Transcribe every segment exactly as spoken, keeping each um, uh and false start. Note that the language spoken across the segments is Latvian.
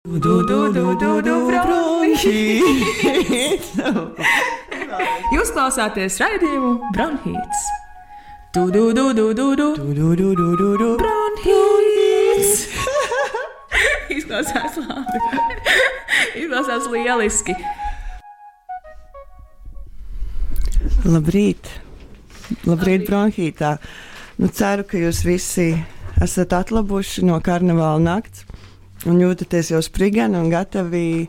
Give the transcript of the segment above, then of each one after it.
Du, du, du, du, du, bronhīts. Jūs klausāties raidījumu Bronhīts. Du, du, du, du, du, du, du, du, du, du, du, bronhīts. Izklausās labi. Izklausās lieliski. Labrīt. Labrīt, Bronhītā. Nu, ceru, ka jūs visi esat atlabuši no karnevāla nakts un jūtaties jau sprigani un gatavi,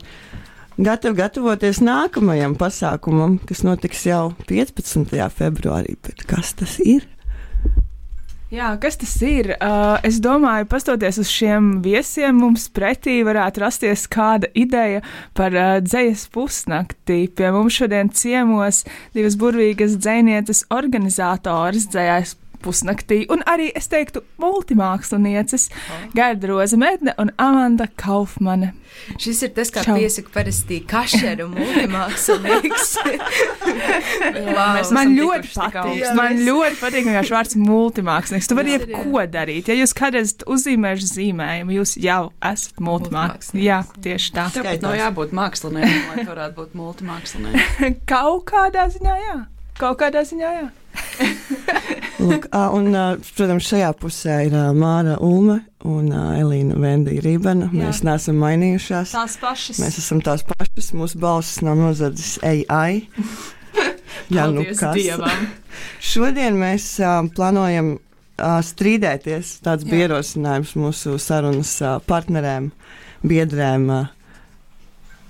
gatavi gatavoties nākamajam pasākumam, kas notiks jau piecpadsmitajā februārī. Bet kas tas ir? Jā, kas tas ir? Uh, es domāju, pastoties uz šiem viesiem, mums pretī varētu rasties kāda ideja par uh, dzejas pusnakti. Pie mums šodien ciemos divas burvīgas dzejnieces organizātoras dzejās pusnaktī, un arī, es teiktu, multimākslinieces oh. Gerda Rozemedne un Amanda Kaufmane. Šis ir tas, kā Čau. Piesaka parasti kašeru multimākslinieks. wow. Man ļoti patīk, jā, man mēs... ļoti patīk vienkārši vārds multimākslinieks. Tu vari jebko darīt. Ja jūs kādreiz uzzīmēšu zīmējumu, jūs jau esat multimākslinieks. Jā, tieši tā. Tev pat nav jābūt māksliniekam, lai varētu būt multimākslinieks. Kaut kādā ziņā, jā. Kaut kādā ziņā, jā. Lūk, un, protams, šajā pusē ir Māra Ulme un Elīna Vendija Rībena. Jā. Mēs neesam mainījušās. Tās pašas. Mēs esam tās pašas. Mūsu balsis nav nozadzis A I. Jā, nu kas. Dievam. Šodien mēs uh, plānojam uh, strīdēties. Tāds bija ierosinājums mūsu sarunas uh, partnerēm, biedrēm. Uh,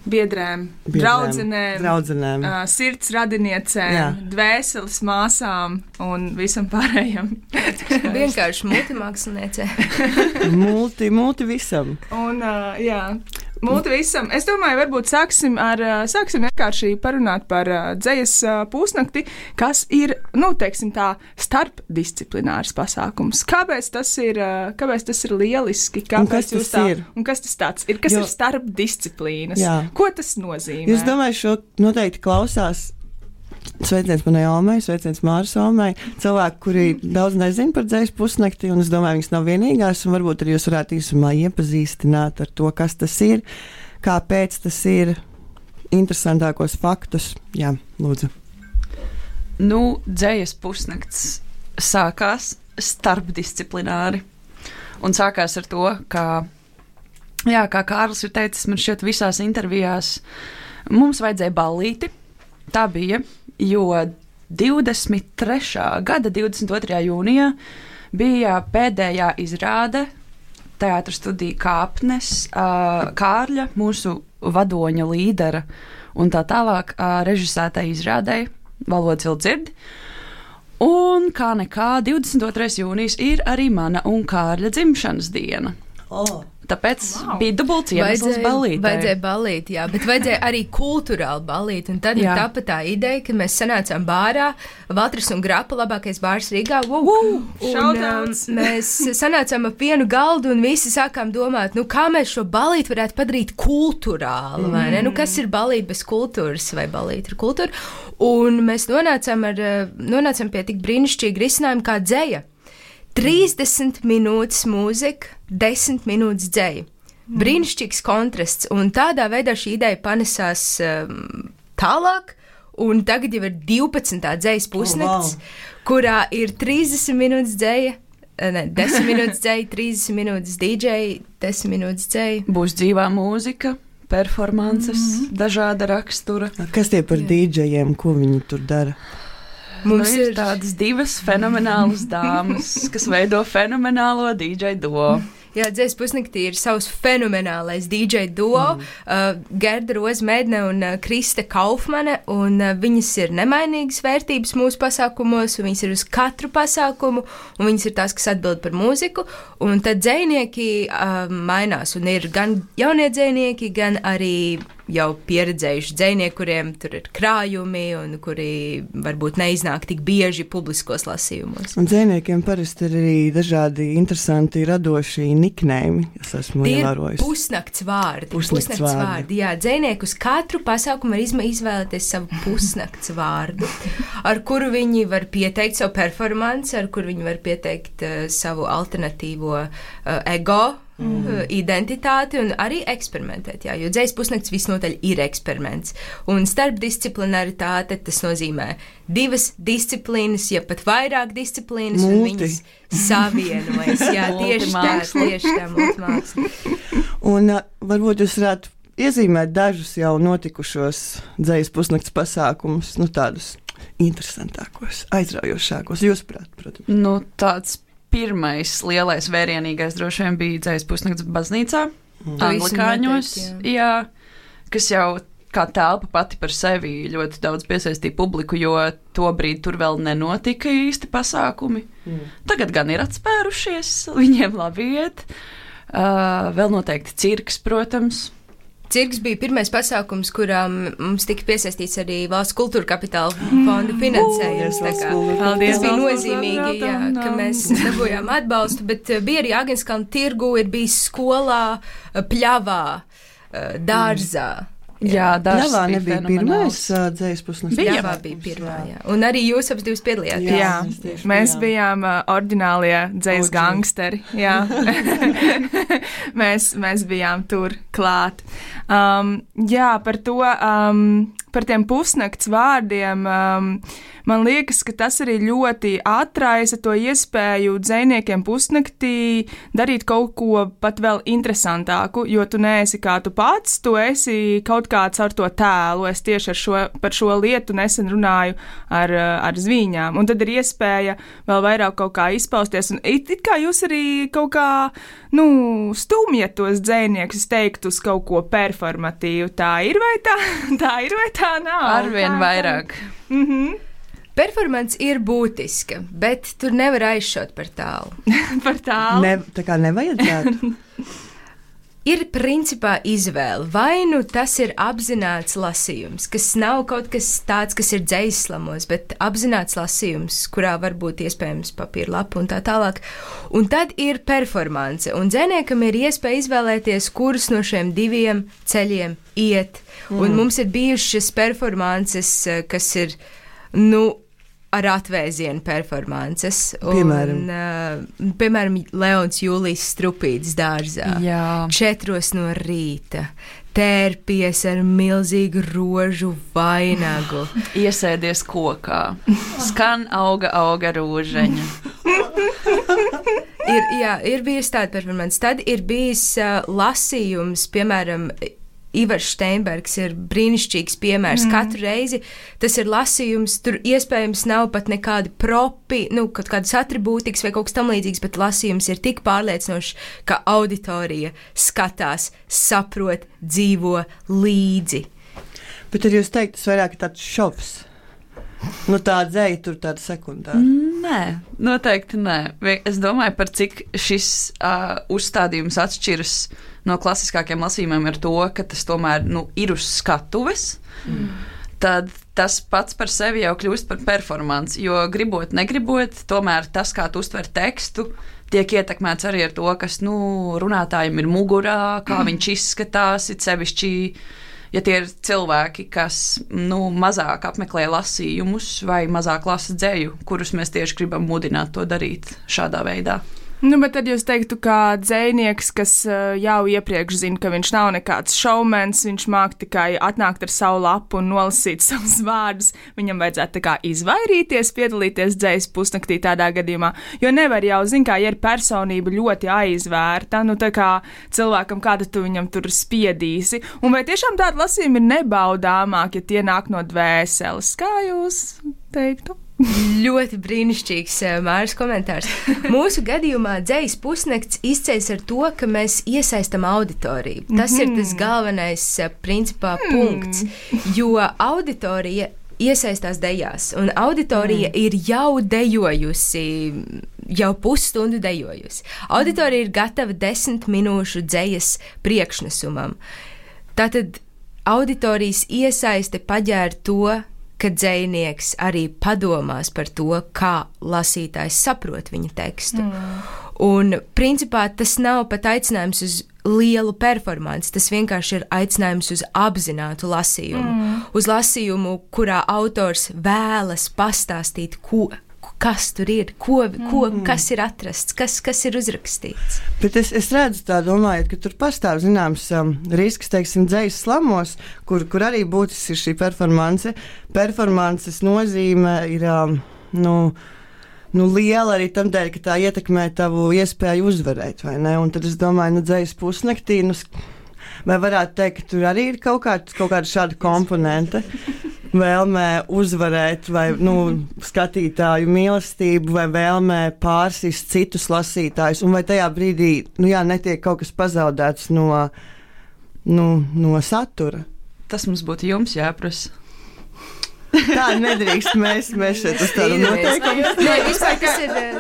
Biedrēm, Biedrēm, draudzenēm, draudzenēm. Uh, sirds radiniecēm, Jā. Dvēseles māsām un visam pārējiem. Vienkārši multimāksliniecē. multi, multi visam. Un, uh, jā, multi visam. Es domāju, varbūt sāksim ar, sāksim vienkārši parunāt par uh, dzejas uh, pusnakti, kas ir, nu, teiksim tā, starpdisciplinārs pasākums. Kāpēc tas ir, uh, kāpēc tas ir lieliski? Un kas tas tā, ir? Un kas tas tāds ir? Kas jo, ir starpdisciplīnas? Jā. Ko tas nozīmē? Es domāju, šo noteikti klausās. Sveiciens manai Almai, sveiciens Māras Almai. Cilvēki, kuri daudz nezina par dzejas pusnakti, un es domāju, viņas nav vienīgās, un varbūt arī jūs varētu īsumā iepazīstināt ar to, kas tas ir, kāpēc tas ir, interesantākos faktus. Jā, lūdzu. Nu, dzejas pusnakts sākās starpdisciplināri, un sākās ar to, ka Jā, kā Kārlis ir teicis, man šķiet visās intervijās mums vajadzēja ballīti. Tā bija, jo divdesmit trešā gada divdesmit otrajā jūnijā bija pēdējā izrāde Teātra studija Kāpnes, Kārļa, mūsu vadoņa līdera un tā tālāk režisētai izrādei Valodas Vildzirdi. Un kā nekā divdesmit otrais jūnijas ir arī mana un Kārļa dzimšanas diena. Oh. Tāpēc wow. bija dubults iemesls ballītei. Vajadzēja ballīt, jā, bet vajadzēja arī kultūrāli ballīt. Un tad ir tāpat tā ideja, ka mēs sanācām bārā, Valtris un Grapa, labākais bārs Rīgā. Wow. Uh, un, um, mēs sanācām ap vienu galdu un visi sākām domāt, nu kā mēs šo ballīti varētu padarīt kultūrāli, vai ne? Mm. Nu kas ir ballīt bez kultūras, vai ballīt ar kultūru? Un mēs nonācām, ar, nonācām pie tik brīnišķīga risinājuma kā dzeja. trīsdesmit minūtes mūzika, desmit minūtes dzeja. Mm. Brīnišķīgs kontrasts, un tādā veidā šī ideja panesās um, tālāk, un tagad jau ir divpadsmitā dzejas pusnakts, oh, wow. kurā ir trīsdesmit minūtes dzeja, ne, desmit minūtes dzeja, trīsdesmit minūtes D J, desmit minūtes dzeja. Būs dzīvā mūzika, performances, mm-hmm. dažāda rakstura. Kas tie par D J-iem, ko viņi tur dara? Mums nu, ir tādas divas fenomenālas dāmas, kas veido fenomenālo D J duo. Jā, dzejas pusnaktī ir savs fenomenālais D J duo, mm. uh, Gerda Rozemedne un uh, Krista Kaufmane, un uh, viņas ir nemainīgas vērtības mūsu pasākumos, un viņas ir uz katru pasākumu, un viņas ir tās, kas atbild par mūziku, un tad dzejnieki uh, mainās, un ir gan jaunie dzejnieki, gan arī jau pieredzējuši dzejnieki, kuriem tur ir krājumi un kuri varbūt neiznāk tik bieži publiskos lasījumos. Un dzejniekiem parasti ir arī dažādi interesanti radoši niknējumi, es esmu ievērojis. Tie ir pusnakts vārdi. Pusnakts, pusnakts vārdi. vārdi. Jā, dzejnieki uz katru pasākumu var izvēlēties savu pusnakts vārdu, ar kuru viņi var pieteikt savu performanci, ar kuru viņi var pieteikt uh, savu alternatīvo uh, ego mm. identitāti un arī eksperimentēt, jā, jo dzējas pusnakts visnotaļ ir eksperiments. Un starpdisciplinaritāte tas nozīmē divas disciplīnas, ja pat vairāk disciplīnas, Multi. un viņas savienojas, jā, tieši tā, tieši tā, multimāksla. Un uh, varbūt jūs varētu iezīmēt dažus jau notikušos dzējas pusnakts pasākumus, nu tādus interesantākos, aizraujošākos, jūsuprāt, protams. Nu, tāds pirmais lielais vērienīgais droši vien bija dzējas pusnakts baznīcā, mm. Anglikāņos, noteikti, jā. jā, kas jau kā telpa pati par sevi ļoti daudz piesaistīja publiku, jo tobrīd tur vēl nenotika īsti pasākumi. Mm. Tagad gan ir atspērušies, viņiem labi iet. Uh, vēl noteikti cirks, protams. Cirks bija pirmais pasākums, kurām mums tika piesaistīts arī Valsts kultūra kapitāla fonda finansējums. Paldies, Tā kā, Paldies, tas bija Valsts nozīmīgi, jā, kultūra ka mēs dabūjām atbalstu, bet bija arī Agenskalna tirgu, ir bijis skolā, pļavā, dārzā. Jā, dārzs Pļavā bija nebija fenomenāls. pirmais uh, dzējas pusnakts. Pļavā Bija. bija pirmā, jā. Un arī jūs ap divas piedalījāties. Jā, Jā, jā. mēs tieši Mēs bijām. bijām uh, oriģinālie dzējas O G. gangsteri. Jā, mēs, mēs bijām tur klāt. Um, jā, par to, um, par tiem pusnakts vārdiem. Um, man liekas, ka tas arī ļoti atraisa to iespēju dzejniekiem pusnaktī darīt kaut ko pat vēl interesantāku, jo tu neesi kā tu pats, tu esi kaut kāds ar to tēlu. Es tieši ar šo, par šo lietu nesen runāju ar, ar Zvīņām, un tad ir iespēja vēl vairāk kaut kā izpausties, un it, it kā jūs arī kaut kā, nu, stumjat tos dzejniekus, es teiktu, uz kaut ko performatīvu. Tā ir vai tā? Tā ir vai tā nav? Arvien Tā, vairāk. Tā. Mhm. Performance ir būtiska, bet tur nevar aizšaut par tālu. Par tālu. Ne, tā kā nevajadzētu. Ir principā izvēle. Vai nu tas ir apzināts lasījums, kas nav kaut kas tāds, kas ir dzejslamos, bet apzināts lasījums, kurā var būt iespējams papīra lapa un tā tālāk. Un tad ir performance, un dzejniekam ir iespēja izvēlēties, kurus no šiem diviem ceļiem iet. Mm. Un mums ir bijušas performances, kas ir, nu, ar atvēzienu performances. Piemēram? Un, uh, piemēram, Leons Jūlijs Strupītis dārzā. Jā. Četros no rīta. Tērpies ar milzīgu rožu vainagu. Iesēdies kokā. Skan auga, auga rūžeņa. ir, jā, ir bijis tāda performance. Tad ir bijis uh, lasījums, piemēram, Ivars Steinbergs ir brīnišķīgs piemērs. Mm. Katru reizi tas ir lasījums, tur iespējams nav pat nekādi propi, nu, kaut kādas atribūtikas vai kaut kas tam līdzīgs, bet lasījums ir tik pārliecinošs, ka auditorija skatās, saprot, dzīvo līdzi. Bet tad jūs teikt, tas vairāk ir tāds šovs. Nu, tā dzēja tur tāda sekundāra. Nē, noteikti nē. Es domāju, par cik šis uh, uzstādījums atšķiras no klasiskākiem lasījumiem ar to, ka tas tomēr nu, ir uz skatuves. Mm. Tad tas pats par sevi jau kļūst par performanci, jo gribot, negribot, tomēr tas, kā tu uztver tekstu, tiek ietekmēts arī ar to, kas nu, runātājiem ir mugurā, kā mm. viņš izskatās, it sevišķi, ja tie ir cilvēki, kas nu, mazāk apmeklē lasījumus vai mazāk lasa dzēju, kurus mēs tieši gribam mudināt to darīt šādā veidā. Nu, bet tad jūs teiktu, kā dzejnieks, kas uh, jau iepriekš zina, ka viņš nav nekāds šovmens, viņš māk tikai atnākt ar savu lapu un nolasīt savus vārdus, viņam vajadzētu tā kā izvairīties, piedalīties dzējas pusnaktī tādā gadījumā, jo nevar jau, zin kā, ja ir personība ļoti aizvērta, nu tā kā cilvēkam, kāda tu viņam tur spiedīsi, un vai tiešām tāda lasījuma ir nebaudāmāk, ja tie nāk no dvēseles, kā jūs teiktu? Ļoti brīnišķīgs Māris komentārs. Mūsu gadījumā dzējas pusnakts izceļas ar to, ka mēs iesaistam auditoriju. Tas mm-hmm. ir tas galvenais principā mm. punkts, jo auditorija iesaistās dejās, un auditorija mm. ir jau dejojusi, jau pusstundu dejojusi. Auditorija ir gatava desmit minūšu dzējas priekšnesumam. Tātad auditorijas iesaiste paģēra to, ka dzejnieks arī padomās par to, kā lasītājs saprot viņa tekstu. Mm. Un, principā, tas nav pat aicinājums uz lielu performanci, tas vienkārši ir aicinājums uz apzinātu lasījumu. Mm. Uz lasījumu, kurā autors vēlas pastāstīt, ko, kas tur ir, ko, ko, mm. kas ir atrasts, kas, kas ir uzrakstīts. Bet es, es redzu tā, domājot, ka tur pastāv zināms um, risks, teiksim, dzejas slamos, kur, kur arī būtisks ir šī performance. Performances nozīme ir, um, nu, nu, liela arī tam dēļ, ka tā ietekmē tavu iespēju uzvarēt, vai ne? Un tad es domāju, nu, dzejas pusnaktī, nu, vai varētu teikt, ka tur arī ir kaut kāda, kaut kāda šāda komponente, vēlmē uzvarēt, vai nu, skatītāju mīlestību, vai vēlmē pārsist citus lasītājus, un vai tajā brīdī nu, jā, netiek kaut kas pazaudēts no, nu, no satura. Tas mums būtu jums jāprasa. Tā nedrīkst, mēs, mēs šeit uz tādu noteikumu.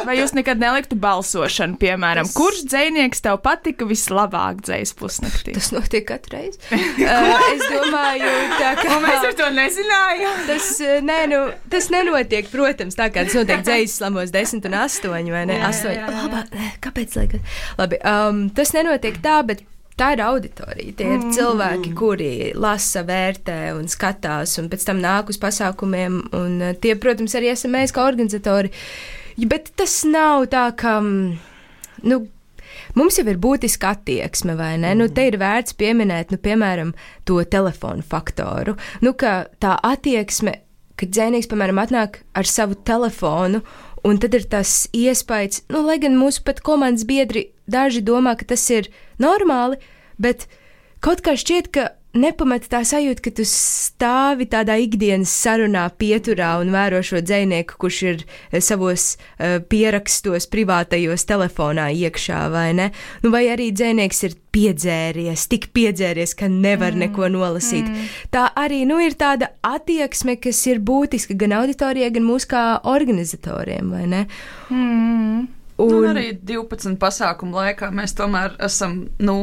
Vai jūs nekad neliktu balsošanu, piemēram, tas... kurš dzejnieks tev patika vislabāk dzejas pusnaktī? Tas notiek katru reizi. uh, es domāju, tā kā... Un mēs ar to nezinājām. Tas, nē, nu, tas nenotiek, protams, tā kā tas notiek dzejas slamos desmit un astoņi, vai ne? Jā, astoņi. jā, jā. Labā, kāpēc liekas? Labi, um, tas nenotiek tā, bet tā ir auditorija. Tie ir cilvēki, kuri lasa, vērtē un skatās, un pēc tam nāk uz pasākumiem. Un tie, protams, arī esam mēs kā organizatori. Bet tas nav tā, ka nu, mums jau ir būtiska attieksme, vai ne? Nu, te ir vērts pieminēt, nu, piemēram, to telefonu faktoru. Nu, ka tā attieksme, kad dzejnieks, piemēram, atnāk ar savu telefonu, un tad ir tas iespējas, nu, lai gan mūsu pat komandas biedri daži domā, ka tas ir normāli, bet kaut kā šķiet, ka nepamet tā sajūta, ka tu stāvi tādā ikdienas sarunā pieturā un vēro šo dzejnieku, kurš ir savos uh, pierakstos privātajos telefonā iekšā, vai ne? Nu, vai arī dzejnieks ir piedzēries, tik piedzēries, ka nevar mm. neko nolasīt. Mm. Tā arī, nu, ir tāda attieksme, kas ir būtiska gan auditorijai, gan mūs kā organizatoriem, vai ne? Mm. Un, un arī divpadsmit pasākumu laikā mēs tomēr esam nu,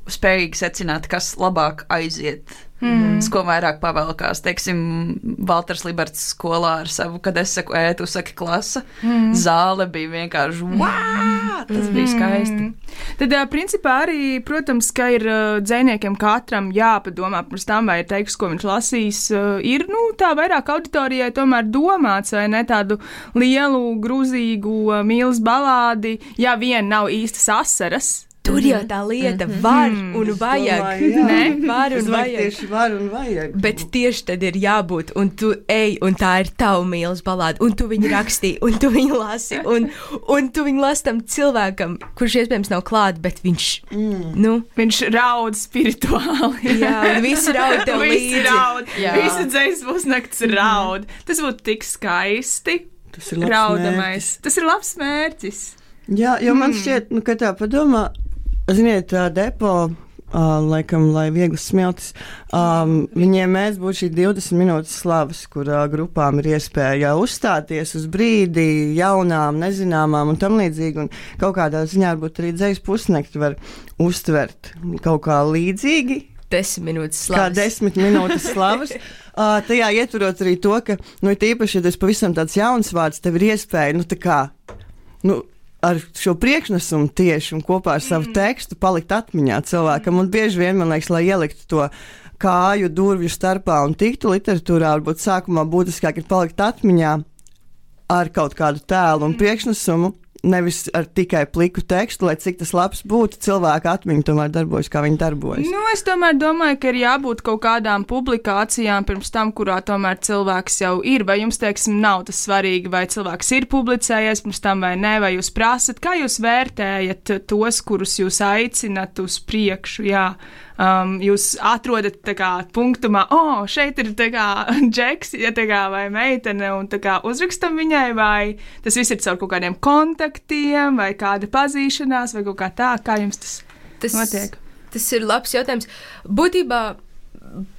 spējīgi secināt, kas labāk aiziet, mm. ko vairāk pavelkās. Teiksim, Valters Liberts skolā ar savu, kad es saku, ē, tu saki klasa, mm. zāle bija vienkārši, vā, tas mm. bija skaisti. Tad, principā, arī, protams, ka ir dzejniekiem katram jāpadomā pirms tam, vai ir teiks, ko viņš lasīs, ir, nu, tā vairāk auditorijai tomēr domāts, vai ne, tādu lielu, grūzīgu mīlas balādi, ja vien nav īstas asaras. Tur jau tā lieta var un vajag. Domāju, ne, var un vajag. Tieši var un vajag. Bet tieši tad ir jābūt, un tu ej, un tā ir tava mīlas balāda, un tu viņu rakstīji, un tu viņu lasi, un, un tu viņu lasi tam cilvēkam, kurš iespējams nav klāt, bet viņš, mm. nu. Viņš raud spirituāli. Jā, un visi raud tev līdzi. Visi raud, visu dzejas pusnakts raud. Tas būtu tik skaisti. Tas ir labs raudamais. mērķis. Tas ir labs mērķis. Jā, jo man šķiet, nu, ka tā padomā, ziniet, tā depo, uh, laikam, lai vieglas smiltis, um, viņiem mēs būtu šī divdesmit minūtes slavas, kur uh, grupām ir iespēja uzstāties uz brīdi, jaunām, nezināmām un tam līdzīgi, un kaut kādā ziņā varbūt arī dzejas pusnakti var uztvert kaut kā līdzīgi. Desmit minūtes slavas. Kā desmit minūtes slavas. uh, tajā ietverot arī to, ka, nu, tīpaši, ja tas pavisam tāds jauns vārds, tev ir iespēja, nu, tā kā, nu, ar šo priekšnesumu tieši un kopā ar savu tekstu palikt atmiņā cilvēkam. Un bieži vien, man liekas, lai ieliktu to kāju durvju starpā un tiktu literatūrā, varbūt sākumā būtiskāk ir palikt atmiņā ar kaut kādu tēlu un priekšnesumu, nevis ar tikai pliku tekstu, lai cik tas labs būtu, cilvēka atmiņa tomēr darbojas, kā viņi darbojas. Nu, es tomēr domāju, ka ir jābūt kaut kādām publikācijām pirms tam, kurā tomēr cilvēks jau ir, vai jums, teiksim, nav tas svarīgi, vai cilvēks ir publicējies pirms tam vai nē, vai jūs prasat, kā jūs vērtējat tos, kurus jūs aicinat uz priekšu, jā. Um, jūs atrodat tā kā punktumā, o, oh, šeit ir tā kā džeks, ja tā kā vai meitene, un tā kā uzrakstam viņai, vai tas viss ir caur kaut kādiem kontaktiem, vai kāda pazīšanās, vai kaut kā tā, kā jums tas, tas notiek? Tas ir labs jautājums. Būtībā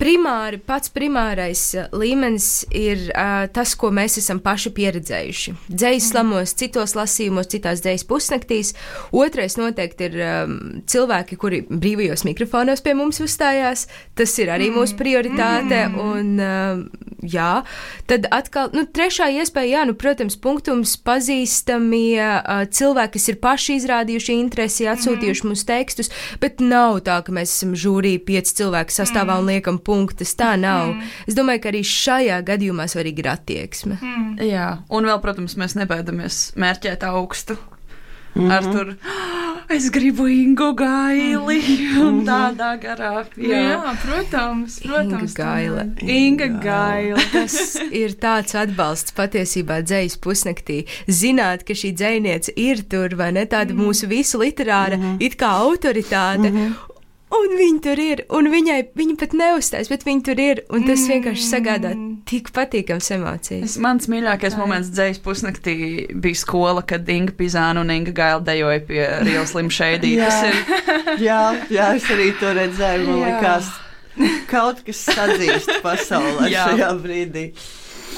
primāri, pats primārais līmenis ir uh, tas, ko mēs esam paši pieredzējuši. Dzejas slamos, citos lasījumos, citās dzejas pusnaktīs. Otrais noteikti ir um, cilvēki, kuri brīvajos mikrofonos pie mums uzstājās. Tas ir arī mūsu prioritāte. Un, uh, jā, tad atkal, nu, trešā iespēja, jā, nu, protams, punktums pazīstamie uh, cilvēki, kas ir paši izrādījuši interesi, atsūtījuši mm-hmm. mums tekstus, bet nav tā, ka mēs esam žūrī pieci cilvēki sastāvā mm-hmm. un liekam punktus, tā nav. Mm-hmm. Es domāju, ka arī šajā gadījumā svarīgi ir attieksme. Mm. Jā, un vēl, protams, mēs nebaidamies mērķēt augstu. Mm-hmm. Ar tur, es gribu Ingu Gaili, mm-hmm. un tādā garā. Jā, jā protams, protams. Inga Gaila. Inga Gaila. Tas ir tāds atbalsts patiesībā dzejas pusnaktī. Zināt, ka šī dzejniece ir tur, vai ne, tāda mm-hmm. mūsu visu literāra, mm-hmm. it kā autoritāte. Mm-hmm. Un viņa tur ir, un viņai, viņa pat neuzstājas, bet viņa tur ir, un tas mm. vienkārši sagādā tik patīkams emocijas. Mans mīļākais Ai. moments dzejas pusnaktī bija skola, kad Inga Pizāna un Inga Gaila dejoja pie Real Slim Shady. jā. Tas ir... jā, jā, es arī to redzēju, man likās kaut kas sadzīst pasaulē šajā brīdī.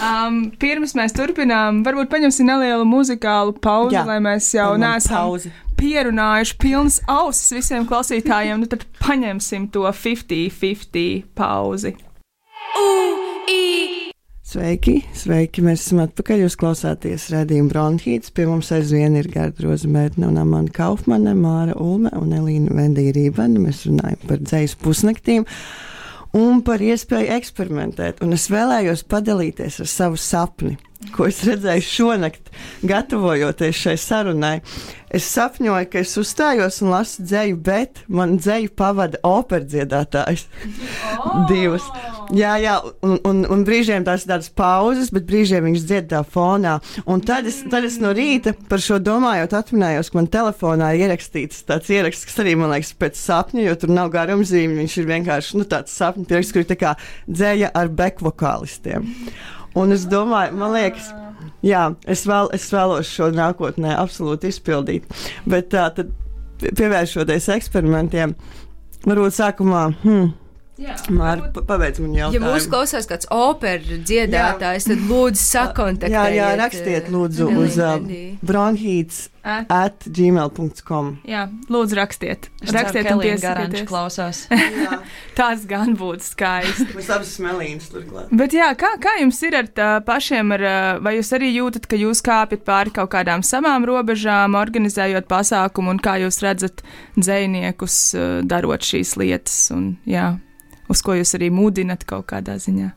Um, pirms mēs turpinām, varbūt paņemsim nelielu muzikālu pauzi, jā. lai mēs jau neesam pierunājuši pilnas ausis visiem klausītājiem, nu tad paņemsim to fifty fifty pauzi. Sveiki, sveiki, mēs esam atpakaļ, jūs klausāties raidījumu Bronhīts, pie mums aizvien ir Gerda Rozmērtne un Amanda Kaufmane, Māra Ulme un Elīna Vendija Rībana, mēs runājam par dzejas pusnaktīm un par iespēju eksperimentēt, un es vēlējos padalīties ar savu sapni, ko es redzēju šonakt, gatavojoties šai sarunai. Es sapņoju, ka es uzstājos un lasu dzeju, bet man dzeju pavada operdziedātājs. Oh. Divas. Jā, jā, un, un, un brīžiem tās ir tādas pauzes, bet brīžiem viņš dzied tā fonā. Un tad es, tad es no rīta par šo domājot atminējos, ka man telefonā ir ierakstīts tāds ieraksts, kas arī, man liekas, pēc sapņa, jo tur nav garumzīme, viņš ir vienkārši, nu, tāds sapņu pieraksts, kur ir tā kā dzeja ar bekvokālistiem. Un es domāju, man liekas, jā, es, vēl, es vēlos šo nākotnē absolūti izpildīt, bet tā tad pievēršoties eksperimentiem, varbūt sākumā, hmm, Māri, pabeidz man jautājumu. Ja mūs klausās kāds operu dziedātājs, tad lūdzu sakontaktējiet. Jā, jā, rakstiet lūdzu uz uh, bronhīts at gmail dot com. Jā, lūdzu rakstiet. Es rakstiet ceru, un piesakieties. Klausās. Tas gan būtu skaisti. Mēs abas smelīnas turklāt. Bet jā, kā, kā jums ir ar tā pašiem, ar, vai jūs arī jūtat, ka jūs kāpjat pāri kaut kādām savām robežām, organizējot pasākumu, un kā jūs redzat dzejniekus darot šīs lietas, un jā, uz ko jūs arī mudinat kaut kādā ziņā?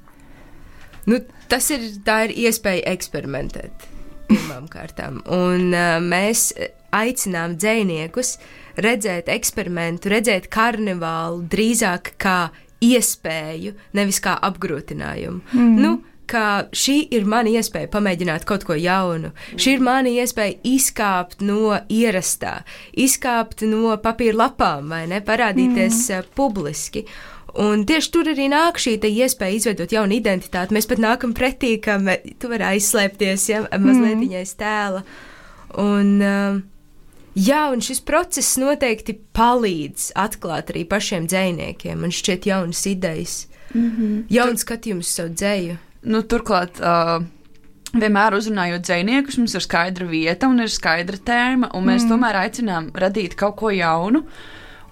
Nu, tas ir, tā ir iespēja eksperimentēt pirmām kārtām. Un uh, mēs aicinām dzejniekus redzēt eksperimentu, redzēt karnevālu drīzāk kā iespēju, nevis kā apgrūtinājumu. Mm. Nu, ka šī ir mana iespēja pamēģināt kaut ko jaunu. Šī ir mana iespēja izkāpt no ierastā, izkāpt no papīra lapām, vai ne, parādīties mm. uh, publiski. Un tieši tur arī nāk šī iespēja izveidot jaunu identitāti. Mēs pat nākam pretī, ka mē, tu vari aizslēpties, ja, mazliet mm. aiz tēla. Un, uh, jā, un šis process noteikti palīdz atklāt arī pašiem dzejniekiem. Man šķiet jaunas idejas, mm-hmm. jauns skatījums savu dzeju. Nu, turklāt, uh, vienmēr uzrunājot dzejniekus, mums ir skaidra vieta un ir skaidra tēma, un mēs mm. tomēr aicinām radīt kaut ko jaunu.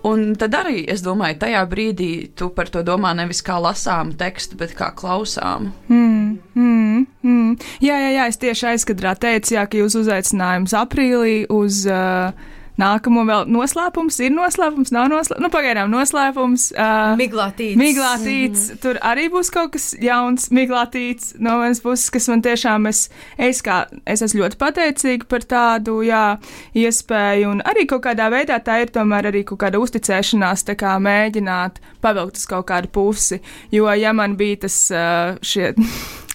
Un tad arī, es domāju, tajā brīdī tu par to domā nevis kā lasāmu tekstu, bet kā klausāmu. Mm, mm, mm. Jā, jā, jā, es tieši aizkadrā teicu, jā, ka jūs uzaicinājums aprīlī uz uh, nākamo vēl noslēpums, ir noslēpums, nav noslēpums, nu pagaidām noslēpums. Uh, miglātīts. Miglātīts, mm-hmm. Tur arī būs kaut kas jauns, miglātīts no manas puses, kas man tiešām, es, es kā, es esmu ļoti pateicīga par tādu, jā, iespēju, un arī kaut kādā veidā tā ir tomēr arī kaut kāda uzticēšanās, tā kā mēģināt pavilkt uz kaut kādu pusi, jo ja man bija tas uh, šie...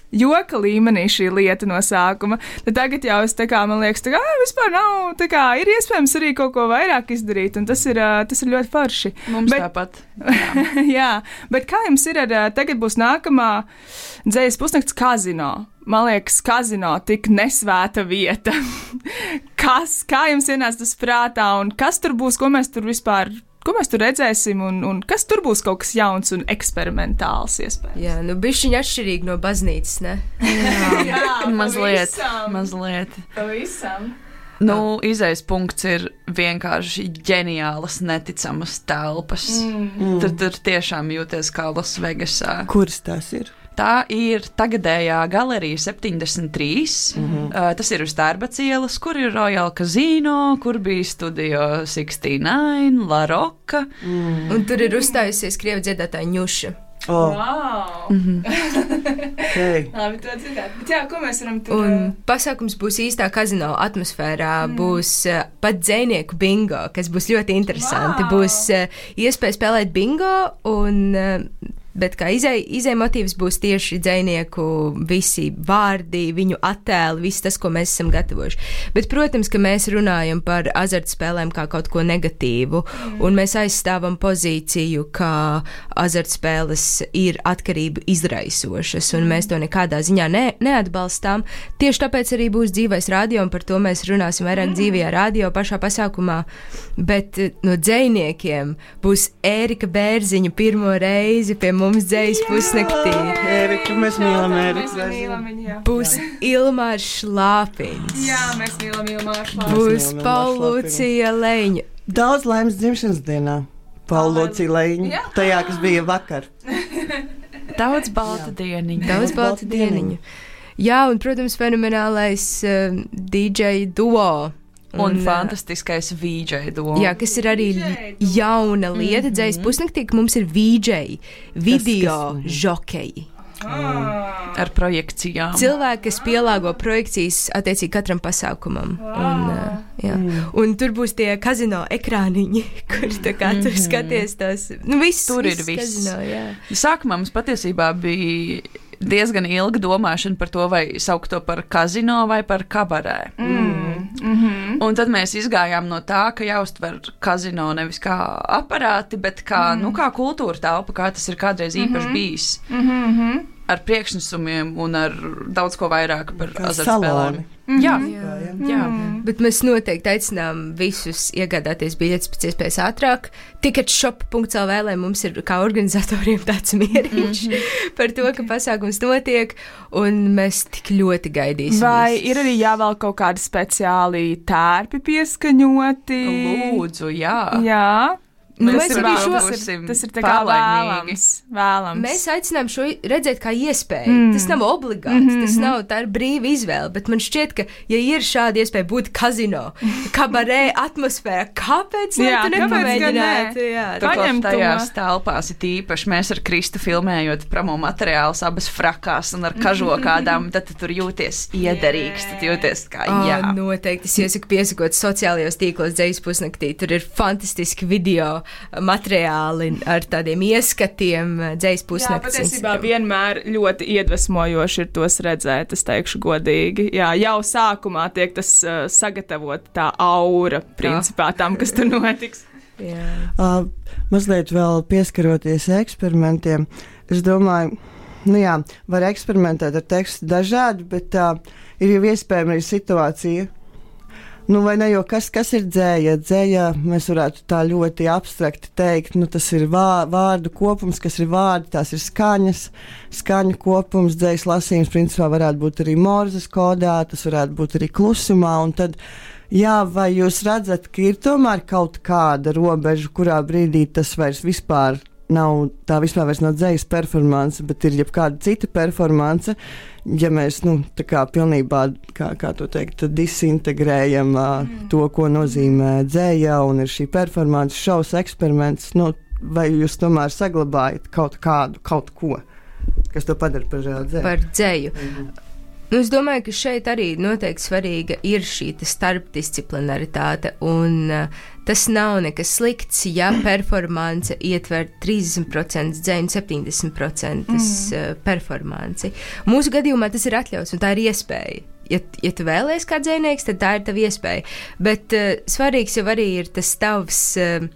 joka līmenī šī lieta no sākuma, tad tagad jau es tā kā, man liekas, tā kā, vispār nav, tā kā, ir iespējams arī kaut ko vairāk izdarīt, un tas ir, tas ir ļoti forši. Mums bet, tāpat. Jā. jā, bet kā jums ir ar, tagad būs nākamā dzejas pusnakts kazino. Man liekas, kazino tik nesvēta vieta. kas, kā jums ienāca tas prātā, un kas tur būs, ko mēs tur vispār ko mēs tur redzēsim, un, un kas tur būs kaut kas jauns un eksperimentāls iespējams. Jā, nu bišķiņ atšķirīgi no baznīcas, ne? Jā, jā mazliet, pavisam. mazliet. Pavisam. Nu, izējas punkts ir vienkārši ģeniālas, neticamas telpas. Mm. Tur, tur tiešām jūties kā Las Vegasā. Kuras tās ir? Tā ir tagadējā galerija septiņdesmit trīs. Mm-hmm. Uh, tas ir uz Tērbatas ielas, kur ir Royal Casino, kur bija Studio sešdesmit deviņi, La Rocca. Mm. Un tur ir uzstājusies krievu dziedātāja Ņuša. Oh. Wow! Mm-hmm. Okay. Labi, to dzirdēt. Bet jā, ko mēs varam tur... Un pasākums būs īstā kazino atmosfērā, mm. būs uh, pat dzejnieku bingo, kas būs ļoti interesanti. Wow. Būs uh, iespēja spēlēt bingo, un, uh, bet kā izēj, izēj motīvs būs tieši dzejnieku visi vārdi, viņu attēli, viss tas, ko mēs esam gatavojuši. Bet, protams, ka mēs runājam par azartspēlēm kā kaut ko negatīvu, mm. un mēs aizstāvam pozīciju, ka azartspēles ir atkarību izraisošas, un mm. mēs to nekādā ziņā ne, neatbalstām. Tieši tāpēc arī būs dzīvais radio, un par to mēs runāsim vairāk mm. dzīvajā radio pašā pasākumā. Bet no dzejniekiem būs Ērika Bērziņa pirmo reizi pie mums dzējas pusnaktī. Ērika, mēs mīlam Ēriku. Mēs mīlam viņu, jā. Būs Ilmārs Šlāpiņš. Jā, mēs mīlam Ilmāru Šlāpiņu. Būs Paulūcija Leņa. Daudz laimes dzimšanas dienā. Paulūcija Leņa. Jā. Tajā, kas bija vakar. Daudz balta dieniņu. Daudz balta dieniņu. Jā, un, protams, fenomenālais uh, D J duo. Un, un fantastiskais V J duo. Jā, kas ir arī jauna lieta. Mm-hmm. Dzējas pusnaktī, ka mums ir V J, video kas, kas... žokeji. Ah. Ar projekcijām. Cilvēki, kas pielāgo projekcijas attiecīgi katram pasākumam. Un, uh, jā. Mm. Un tur būs tie kazino ekrāniņi, kur tā kā tur mm-hmm. skaties tos. Nu, viss, tur viss ir viss. Kazino, jā. Sākumā mums patiesībā bija diezgan ilga domāšana par to, vai saukt to par kazino vai par kabarē. Mm. Mm-hmm. Un tad mēs izgājām no tā, ka jāuztver kazino nevis kā aparāti, bet kā, mm. nu, kā kultūra telpa, kā tas ir kādreiz īpaši mm-hmm. bijis. Mm-hmm. Ar priekšnesumiem un ar daudz ko vairāk par kā azartspēlēm. Mm-hmm. Jā, jā, jā. jā. Mm. Bet mēs noteikti aicinām visus iegādāties biļetes pēc iespējas ātrāk. Ticketshop punkts L V, lai mums ir kā organizatoriem tāds mieriņš mm-hmm. par to, ka pasākums notiek, un mēs tik ļoti gaidīsim. Vai visus. Ir arī jāvēl kaut kādi speciāli tērpi pieskaņoti? Lūdzu, jā. Jā. Nu, tas, mēs ir, arī šo, tas, ir, tas ir tā kā vēlams, vēlams. Mēs aicinām šo redzēt kā iespēju. Mm. Tas nav obligāts, mm-hmm. tas nav tā ir brīva izvēle, bet man šķiet, ka, ja ir šāda iespēja būt kazino, kabarē atmosfērā, kāpēc jā, tu nepamēģinātu? Ne? Jā, turklāt tajās telpās ir tīpaši mēs ar Kristu filmējot promo materiālus abas frakās un ar kažokādām, tad tu tur jūties iederīgs, tad jūties kā jā. Oh, noteikti, es iesaku piesakot sociālajos tīklos dzējas pusnaktī, tur ir fantastiski video materiāli ar tādiem ieskatiem dzējas pusnakts. Jā, patiesībā vienmēr ļoti iedvesmojoši ir tos redzēt, es teikšu godīgi. Jā, jau sākumā tiek tas uh, sagatavot tā aura, principā, tam, kas tur notiks. Jā. Uh, mazliet vēl pieskaroties eksperimentiem, es domāju, nu jā, var eksperimentēt ar tekstu dažādi, bet uh, ir jau iespējama arī situācija. Nu, vai ne, jo kas, kas ir dzēja? Dzēja, mēs varētu tā ļoti abstrakti teikt, nu, tas ir vā, vārdu kopums, kas ir vārdi, tās ir skaņas, skaņu kopums, dzējas lasījums, principā varētu būt arī morzes kodā, tas varētu būt arī klusumā, un tad, jā, vai jūs redzat, ka ir tomēr kaut kāda robeža, kurā brīdī tas vairs vispār nav, tā vispār vairs nav dzējas performance, bet ir jebkāda cita performance, ja mēs, nu, tā kā pilnībā, kā, kā to teikt, disintegrējam mm. to, ko nozīmē dzēja, un ir šī performance, šovs, eksperiments, nu, vai jūs tomēr saglabājat kaut kādu, kaut ko, kas to padara par dzēju? Par dzēju. Mm-hmm. Nu, es domāju, ka šeit arī noteikti svarīga ir šī starpdisciplinaritāte, un uh, tas nav nekas slikts, ja performance ietver trīsdesmit procenti dzēju un septiņdesmit procenti mm. uh, performanci. Mūsu gadījumā tas ir atļauts, un tā ir iespēja. Ja, ja tu vēlies kā dzējnieks, tad tā ir tava iespēja. Bet uh, svarīgs jau arī ir tas tavs uh,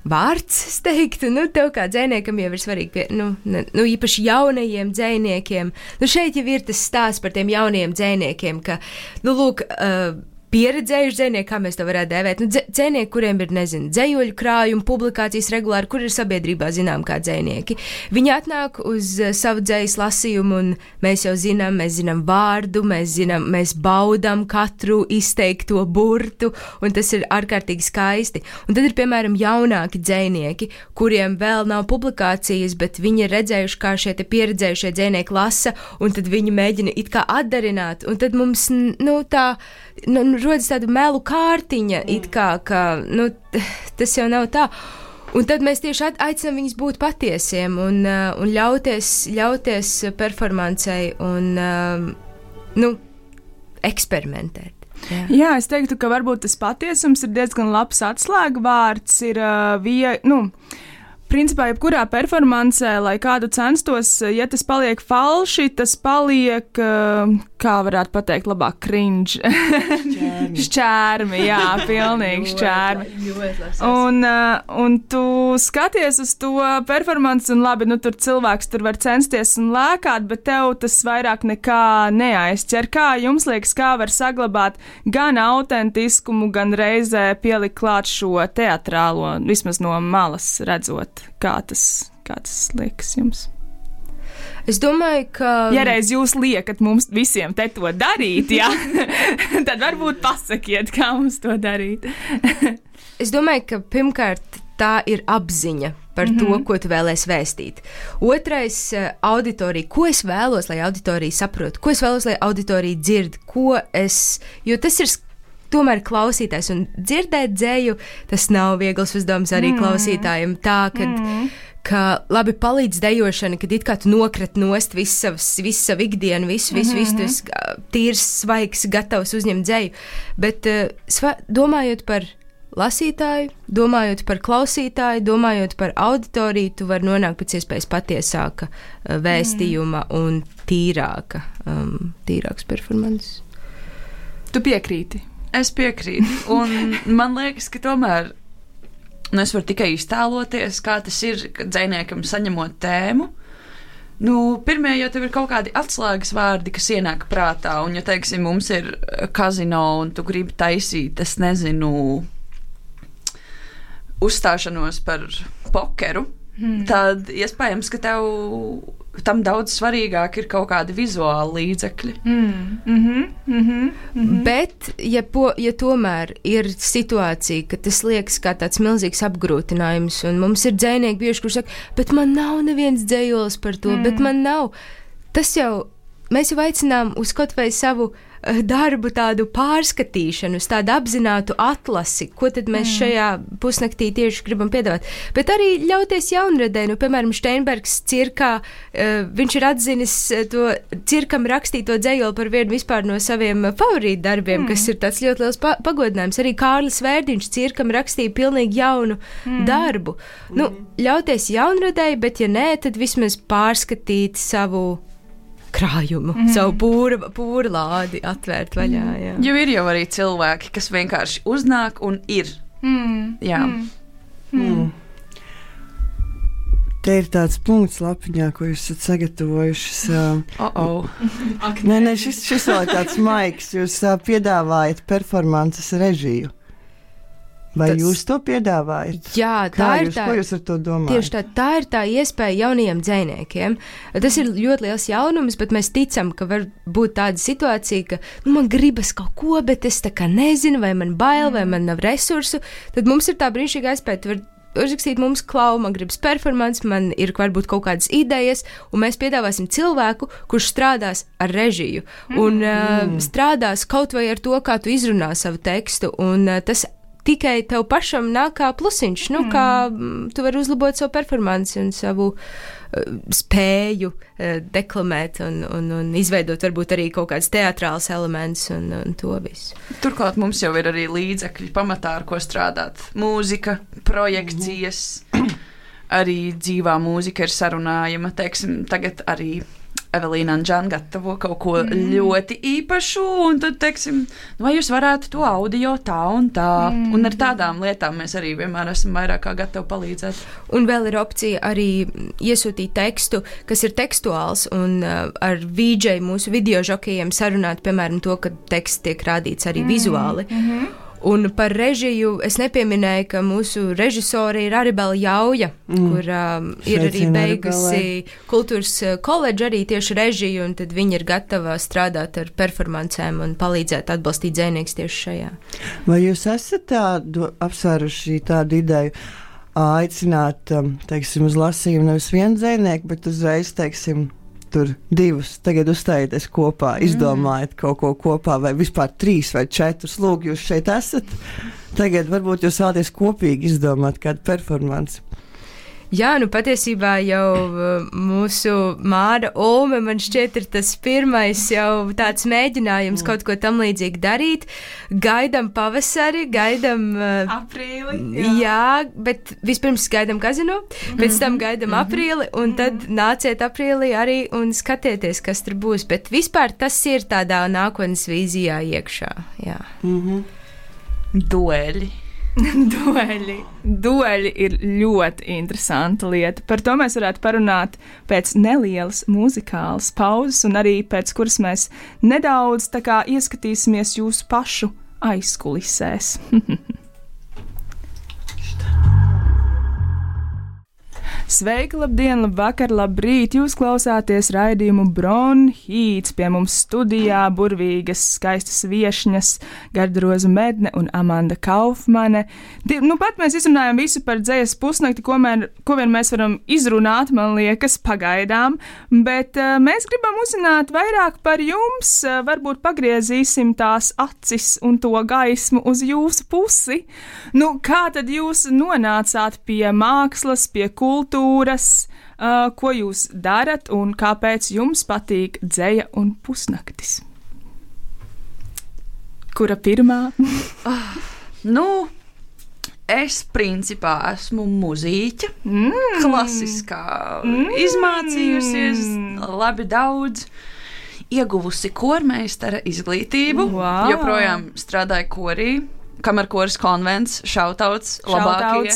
vārds, es teiktu, nu, tev kā dzējniekam jau ir svarīgi, pie, nu, ne, nu, īpaši jaunajiem dzējniekiem. Nu, šeit jau ir tas stāsts par tiem jaunajiem dzējniekiem, ka, nu, lūk, uh, pieredzējuši dzejnieki, kā mēs to varētu dēvēt. Nu, dzejnieki, kuriem ir, nezinu, dzejoļu krājumi, publikācijas regulāri, kur ir sabiedrībā zinām kā dzejnieki. Viņi atnāk uz savu dzejas lasījumu, un mēs jau zinām, mēs zinām vārdu, mēs zinām, mēs baudām katru izteikto burtu, un tas ir ārkārtīgi skaisti. Un tad ir, piemēram, jaunāki dzejnieki, kuriem vēl nav publikācijas, bet viņi ir redzējuši, kā šie te pieredzējušie dzejnieki lasa, un tad viņi mēģina it kā atdarināt, un tad mums, nu, tā, nu, rodas tāda melu kārtiņa, mm. it kā, ka, nu, tas jau nav tā. Un tad mēs tieši aicinām viņus būt patiesiem un, uh, un ļauties, ļauties performancei un, uh, nu, eksperimentēt. Jā. Jā, es teiktu, ka varbūt tas patiesums ir diezgan labs atslēgvārds, ir uh, vie, nu, principā, jebkurā performancē, lai kādu censtos, ja tas paliek falši, tas paliek, kā varētu pateikt, labāk cringe. Šķērmi. Šķērmi, jā, pilnīgi šķērmi. Un, un tu skaties uz to performanci, un labi, nu tur cilvēks tur var censties un lēkāt, bet tev tas vairāk nekā neaizķer. Kā jums liekas, kā var saglabāt gan autentiskumu, gan reizē pielikt klāt šo teatrālo, vismaz no malas redzot? Kā tas, kā tas liekas jums? Es domāju, ka... Ja reiz jūs liekat mums visiem te to darīt, jā, tad varbūt pasakiet, kā mums to darīt. Es domāju, ka pirmkārt tā ir apziņa par mm-hmm. to, ko tu vēlēsi vēstīt. Otrais - auditorija. Ko es vēlos, lai auditorija saprot? Ko es vēlos, lai auditorija dzird? Ko es... Jo tas ir... Tomēr klausītājs un dzirdēt dzēju, tas nav viegls uzdevums arī mm. klausītājiem. Tā, kad, mm. ka labi palīdz dejošana, kad it kā tu nokret nost visu savas, visu savu ikdienu, visu, visu, mm-hmm. visu, tu esi tīrs, svaigs, gatavs uzņemt dzēju. Bet uh, sva, domājot par lasītāju, domājot par klausītāju, domājot par auditoriju, tu vari nonākt pēc iespējas patiesāka uh, vēstījuma mm. un tīrāka, um, tīrāks performances. Tu piekrīti? Es piekrītu, un man liekas, ka tomēr nu, es varu tikai iztēloties, kā tas ir, kad dzejniekam saņemot tēmu. Nu, pirmie jau tev ir kaut kādi atslēgas vārdi, kas ienāk prātā, un ja, teiksim, mums ir kazino, un tu gribi taisīt, es nezinu, uzstāšanos par pokeru, hmm. tad iespējams, ka tev tam daudz svarīgāk ir kaut kādi vizuāli līdzekļi. Mm, mm-hmm, mm-hmm, mm-hmm. Bet, ja, po, ja tomēr ir situācija, ka tas liekas kā tāds milzīgs apgrūtinājums, un mums ir dzejnieki bieži, kurš saka, bet man nav neviens dzējols par to, mm. bet man nav. Tas jau, mēs jau aicinām uz kaut vai savu darbu tādu pārskatīšanu, uz tādu apzinātu atlasi, ko tad mēs mm. šajā pusnaktī tieši gribam piedāvāt. Bet arī ļauties jaunradē, nu, piemēram, Steinbergs cirkā, uh, viņš ir atzinis to cirkam rakstīto dzejoli par vienu vispār no saviem favorītu darbiem, mm. kas ir tāds ļoti liels pa- pagodinājums. Arī Kārlis Vērdiņš cirkam rakstīja pilnīgi jaunu mm. darbu. Mm. Nu, ļauties jaunradē, bet ja nē, tad vismaz pārskatīt savu krājumu, mm. savu pūra, pūra lādi atvērt vaļā. Jā. Jo ir jau arī cilvēki, kas vienkārši uznāk un ir. Mm. Jā. Mm. Mm. Te ir tāds punkts lapiņā, ko jūs esat sagatavojušas. Oh, oh. Nē, nē, šis, šis vēl ir tāds maiks. Jūs uh, piedāvājat performances režiju. Vai tas, jūs to piedāvājat? Jā, tā Kā ir jūs, tā. Ko jūs ar to domājat? Tieši tā, tā ir tā iespēja jaunajiem dzejniekiem. Tas ir ļoti liels jaunums, bet mēs ticam, ka var būt tāda situācija, ka nu, man gribas kaut ko, bet es tā kā nezinu, vai man bail, vai man nav resursu. Tad mums ir tā brīnišķīga iespēja. Tu vari uzrakstīt mums klau, man gribas performance, man ir varbūt kaut kādas idejas, un mēs piedāvāsim cilvēku, kurš strādās ar režiju un mm. uh, strādās kaut vai ar to, kā tu izrunā savu tekstu, un uh, tas tikai tev pašam nāk kā plusiņš, nu, mm. kā m, tu vari uzlabot savu performanci un savu uh, spēju uh, deklamēt un, un, un izveidot varbūt arī kaut kāds teatrāls elements un, un to visu. Turklāt mums jau ir arī līdzekļi pamatā, ar ko strādāt. Mūzika, projekcijas, mm. arī dzīvā mūzika ir sarunājama. Teiksim, tagad arī Evelīna un Džana gatavo kaut ko mm. ļoti īpašu, un tad, teiksim, vai jūs varētu to audio tā un tā, mm. un ar tādām lietām mēs arī vienmēr esam vairāk kā gatavi palīdzēt. Un vēl ir opcija arī iesūtīt tekstu, kas ir tekstuāls, un uh, ar V J mūsu video žokejiem sarunāt, piemēram, to, ka teksts tiek rādīts arī mm. vizuāli. Mm-hmm. Un par režiju es nepieminēju, ka mūsu režisori ir Aribela Jauja, mm. kur um, ir arī beigusi kultūras koledžu arī tieši režiju, un tad viņa ir gatava strādāt ar performancēm un palīdzēt atbalstīt dzejnieks tieši šajā. Vai jūs esat tādu apsvēruši tādu ideju aicināt, teiksim, uz lasījumu nevis vienu dzejnieku, bet uzreiz, teiksim, tur divus, tagad uzstājieties kopā, izdomājiet kaut ko kopā, vai vispār trīs vai četrus, lūk, jūs šeit esat, tagad varbūt jūs vēlaties kopīgi izdomāt kādu performanci. Jā, nu patiesībā jau mūsu Māra Ulme, man šķiet, ir tas pirmais jau tāds mēģinājums mm. kaut ko tam līdzīgi darīt. Gaidam pavasari, gaidam aprīli. Jā, jā bet vispirms gaidam kazino, pēc tam gaidam mm-hmm. aprīli, un tad nāciet aprīlī arī un skatieties, kas tur būs. Bet vispār tas ir tādā nākotnes vīzijā iekšā. Jā. Mm-hmm. Dueļi. Dueļi. Dueļi ir ļoti interesanta lieta. Par to mēs varētu parunāt pēc nelielas muzikālas pauzes, un arī pēc kuras mēs nedaudz tā kā ieskatīsimies jūsu pašu aizkulisēs. Sveiki, labdien, labvakar, labrīt! Jūs klausāties raidījumu Bronhīts, pie mums studijā burvīgas, skaistas viešņas Gardaroza Medne un Amanda Kaufmane. Nu pat mēs izrunājam visu par dzejas pusnakti, ko, mēr, ko vien mēs varam izrunāt, man liekas, pagaidām, bet uh, mēs gribam uzzināt vairāk par jums, uh, varbūt pagriezīsim tās acis un to gaismu uz jūsu pusi. Nu, kā tad jūs nonācāt pie mākslas, pie kultūras? Uh, ko jūs darat un kāpēc jums patīk dzeja un pusnaktis? Kura pirmā? uh, nu, es principā esmu muzīķa, mm. klasiskā, mm. izmācījusies labi daudz, ieguvusi kormeistara izglītību, wow. joprojām strādāju korī, kamerkoris konvents, šautauts, labākie,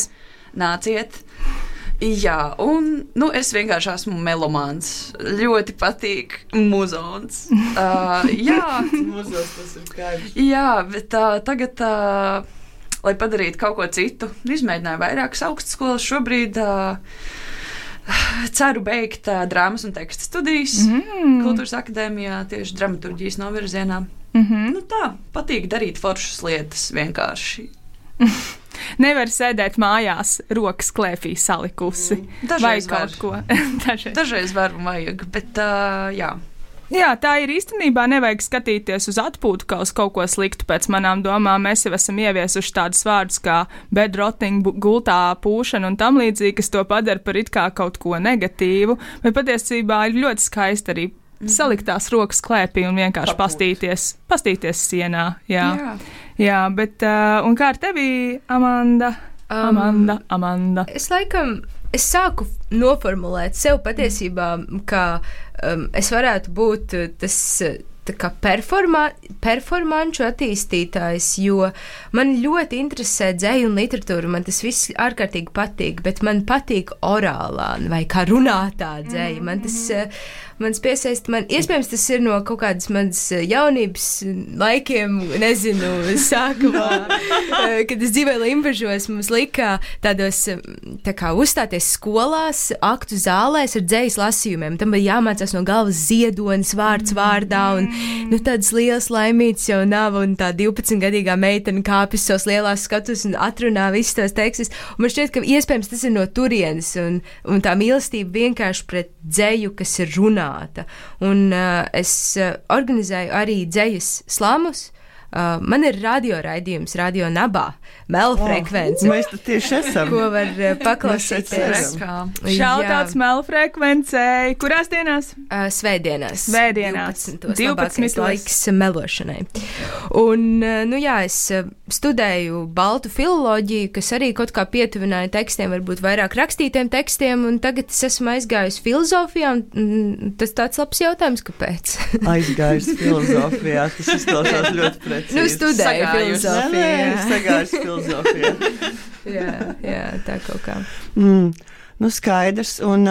nāciet. Jā, un nu, es vienkārši esmu melomāns. Ļoti patīk muzons. Uh, jā, muzons tas ir skaidrs. Jā, bet uh, tagad, uh, lai padarītu kaut ko citu, izmēģināju vairākas augstskolas. Šobrīd uh, ceru beigt uh, drāmas un teksta studijas mm. Kultūras akadēmijā tieši dramaturģijas novirzienā. Mm-hmm. Nu tā, patīk darīt foršas lietas vienkārši. Nevar sēdēt mājās, rokas klēpī salikusi. Dažreiz vai kaut var. ko. Dažreiz. Dažreiz var un vajag, bet uh, jā. Jā, tā ir īstenībā. Nevajag skatīties uz atpūtu kā uz kaut ko sliktu. Pēc manām domām mēs jau esam ieviesuši tādus vārdus kā bedrotting, gultā pūšana un tam līdzīgi, kas to padara par it kā kaut ko negatīvu. Bet patiesībā ir ļoti skaisti arī mm-hmm. salikt tās rokas klēpī un vienkārši Papūt. pastīties, pastīties sienā. Jā, jā. jā bet uh, un kā ar tevi, Amanda? Um, Amanda, Amanda. Es laikam, es sāku noformulēt sev patiesībā, ka um, es varētu būt tas tā kā performa, performanču attīstītājs, jo man ļoti interesē dzeja un literatūra, man tas viss ārkārtīgi patīk, bet man patīk orālā vai kā runātā dzeja. Man tas, mans piesaist, man, iespējams, tas ir no kaut kādas manas jaunības laikiem, nezinu, sākumā, kad es dzīvoju Limbažos, mums lika tādos, tā kā uzstāties skolās, aktu zālēs ar dzejas lasījumiem. Tam bija jāmācās no galvas ziedonis vārds vārdā, un nu, tādas lielas laimītas jau nav, un tā divpadsmitgadīgā meitene kāpjas savas lielās skatus un atrunā visus tos tekstus. Un man šķiet, ka iespējams tas ir no turienes, un, un tā mīlestība vienkārši pret dzeju, kas ir runāta. Un uh, es uh, organizēju arī dzejas slamus, Uh, man ir radio raidījums, radio nabā, melfrekvence. Oh, mēs tad tieši esam. Ko var uh, paklausīties. Šautauts melfrekvencei. Kurās dienās? Uh, svētdienās. Svētdienās. divpadsmitos laiks melošanai. Un, uh, nu jā, es uh, studēju baltu filoloģiju, kas arī kaut kā pietuvināja tekstiem, varbūt vairāk rakstītiem tekstiem, un tagad es esmu aizgājusi filozofijā, un mm, tas tāds labs jautājums, kāpēc? Aizgājusi filozofijā, tas izklausās ļoti precīzi. Nu, studēju filozofiju. Nē, nē, sagājusi filozofijā. jā, jā, tā kaut kā. Mm, nu, skaidrs, un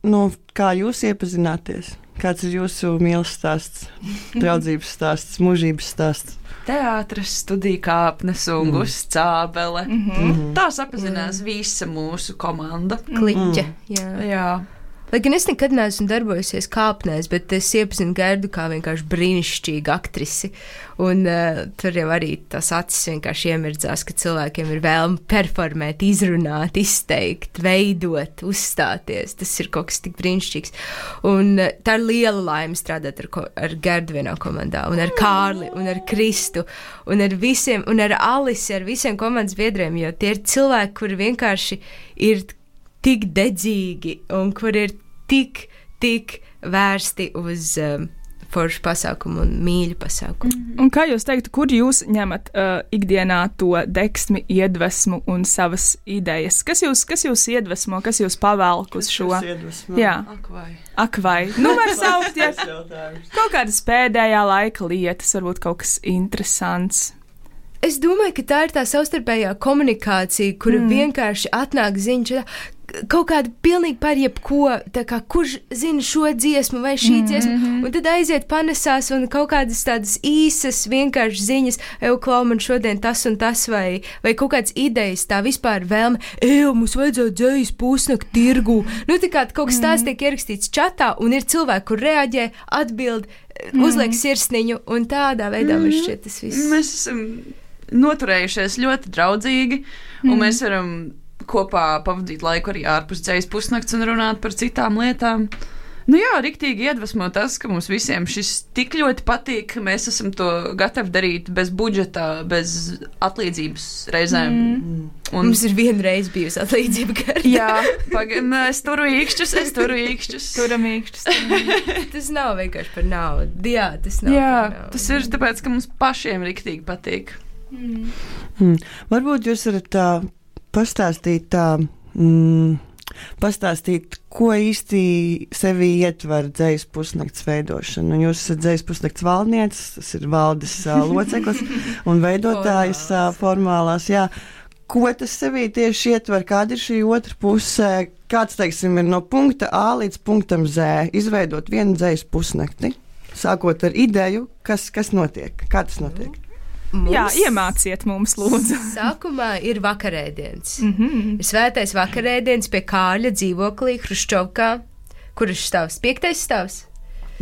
nu, kā jūs iepazināties? Kāds ir jūsu mīlas stāsts, draudzības stāsts, mūžības stāsts? Teātris, studija kāpnes un mm. Guscābele. Mm -hmm. Tā sapazinās mm. visa mūsu komanda. Kliķa, Mm. jā. Jā. Lai gan es nekad neesmu darbojusies kāpnēs, bet es iepazinu Gerdu kā vienkārši brīnišķīgu aktrisi. Un uh, tur jau arī tas acis vienkārši iemirdzās, ka cilvēkiem ir vēlme performēt, izrunāt, izteikt, veidot, uzstāties. Tas ir kaut kas tik brīnišķīgs. Un uh, tā ir liela laime strādāt ar, ko, ar Gerdu vienā komandā, un ar Kārli, un ar Kristu, un ar visiem, un ar Alisi, ar visiem komandas biedriem, jo tie ir cilvēki, kuri vienkārši ir tik dedzīgi un kur ir tik, tik vērsti uz um, foršu pasākumu un mīļu pasākumu. Mm-hmm. Un kā jūs teiktu, kur jūs ņemat uh, ikdienā to deksmi, iedvesmu un savas idejas? Kas jūs, kas jūs iedvesmo, kas jūs pavelk uz šo? Jā, Ak vai. Ak vai. Nu, var saukt, ja kaut kādas pēdējā laika lietas, varbūt kaut kas interesants. Es domāju, ka tā ir tā savstarpējā komunikācija, kura mm. vienkārši atnāk ziņa, kaut kāda pilnīgi par jebko, tā kā kurš zina šo dziesmu vai šī mm-hmm. dziesma, un tad aiziet panesās un kaut kādas tādas īsas vienkārši ziņas, eju, klau, man šodien tas un tas, vai, vai kaut kādas idejas, tā vispār vēlme, eju, mums vajadzētu dzējas pusnakt tirgu. Nu, tā kā kaut kas tās tiek ierakstīts čatā, un ir cilvēki, kur reaģē, atbild, mm. uzliek sirsniņu, un tādā veidā mm. man šķiet tas viss. Mēs esam noturējušies ļoti draudzīgi, mm. un mēs varam kopā pavadīt laiku arī ārpus dzējas pusnakts un runāt par citām lietām. Nu jā, riktīgi iedvesmo tas, ka mums visiem šis tik ļoti patīk, ka mēs esam to gatavi darīt bez budžeta, bez atlīdzības reizēm. Mm. Un mums ir vienreiz bijusi atlīdzība Gerda. Jā, pagaid, es turu īkšķus, es turu īkšķus. Turam īkšķus. Tas nav vienkārši par naudu. Jā, tas nav Jā, par naudu. Tas ir tāpēc, ka mums pašiem riktīgi patīk. Mm. Mm. Varbūt jūs varat tā pastāstīt tā, mm, pastāstīt, ko īsti sevi ietver dzējas pusnakts veidošana. Jūs esat dzējas pusnakts valdnieces, tas ir valdes uh, loceklis un veidotājs uh, formālās, jā. Ko tas sevī tieši ietver, kāda ir šī otra pusē, kāds, teiksim, ir no punkta A līdz punktam Z, izveidot vienu dzējas pusnakti, sākot ar ideju, kas, kas notiek, kā tas notiek? Mums Jā, iemāciet mums, lūdzu. Sākumā ir vakarēdienas. Mm-hmm. Ir svētais vakarēdienas pie Kārļa dzīvoklī Hruščovkā, kurš stāvs piektais stāvs.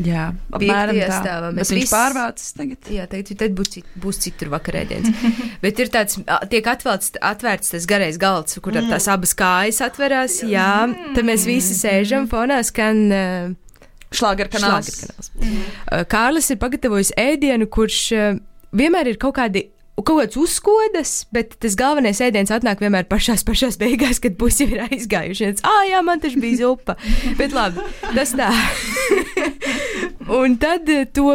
Jā, apmēram tā. Stāvā. Bet viņš viss... pārvācis tagad. Jā, tagad tad būs, būs citur vakarēdienas. Bet ir tāds, tiek atvērts, atvērts tas garais galds, kur mm. tās abas kājas atverās. Jā, mm. tad mēs visi sēžam fonā, skan... Uh, Šlāgerkanāls. Šlāgerkanāls. Mm. Uh, Kārlis ir pagatavojis ēdienu, kurš... Uh, vienmēr ir kaut kādi, kaut kāds uzskodas, bet tas galvenais ēdiens atnāk vienmēr pašās, pašās beigās, kad pusi ir aizgājuši. Ā, jā, man taču bija zupa. Bet labi, tas tā. Un tad to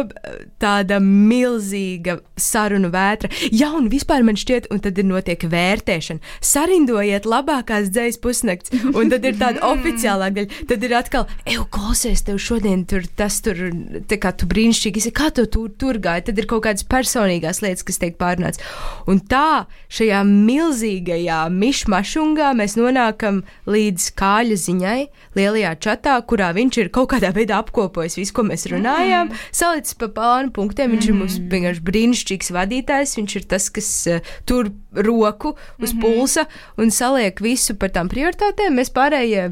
tāda milzīga sarunu vētra. Jā, un vispār man šķiet, un tad ir notiek vērtēšana. Sarindojiet labākās dzējas pusnakts, un tad ir tāda oficiālā daļa. Tad ir atkal, eju, klausies, tev šodien tur tas tur, tā kā tu brīnišķīgi esi, kā tu tur, tur gāji. Tad ir kaut kādas personīgās lietas, kas tiek pārunāts. Un tā, šajā milzīgajā mišmašungā mēs nonākam līdz Kāļa ziņai, lielajā čatā, kurā viņš ir kaut kādā veidā apkopojis visu, ko mēs runājām, mm. salicis pa plānu punktiem. Viņš mm. ir mums vienkārši brīnišķīgs vadītājs, viņš ir tas, kas uh, tur roku uz mm-hmm. pulsa un saliek visu par tām prioritātēm. Mēs pārējie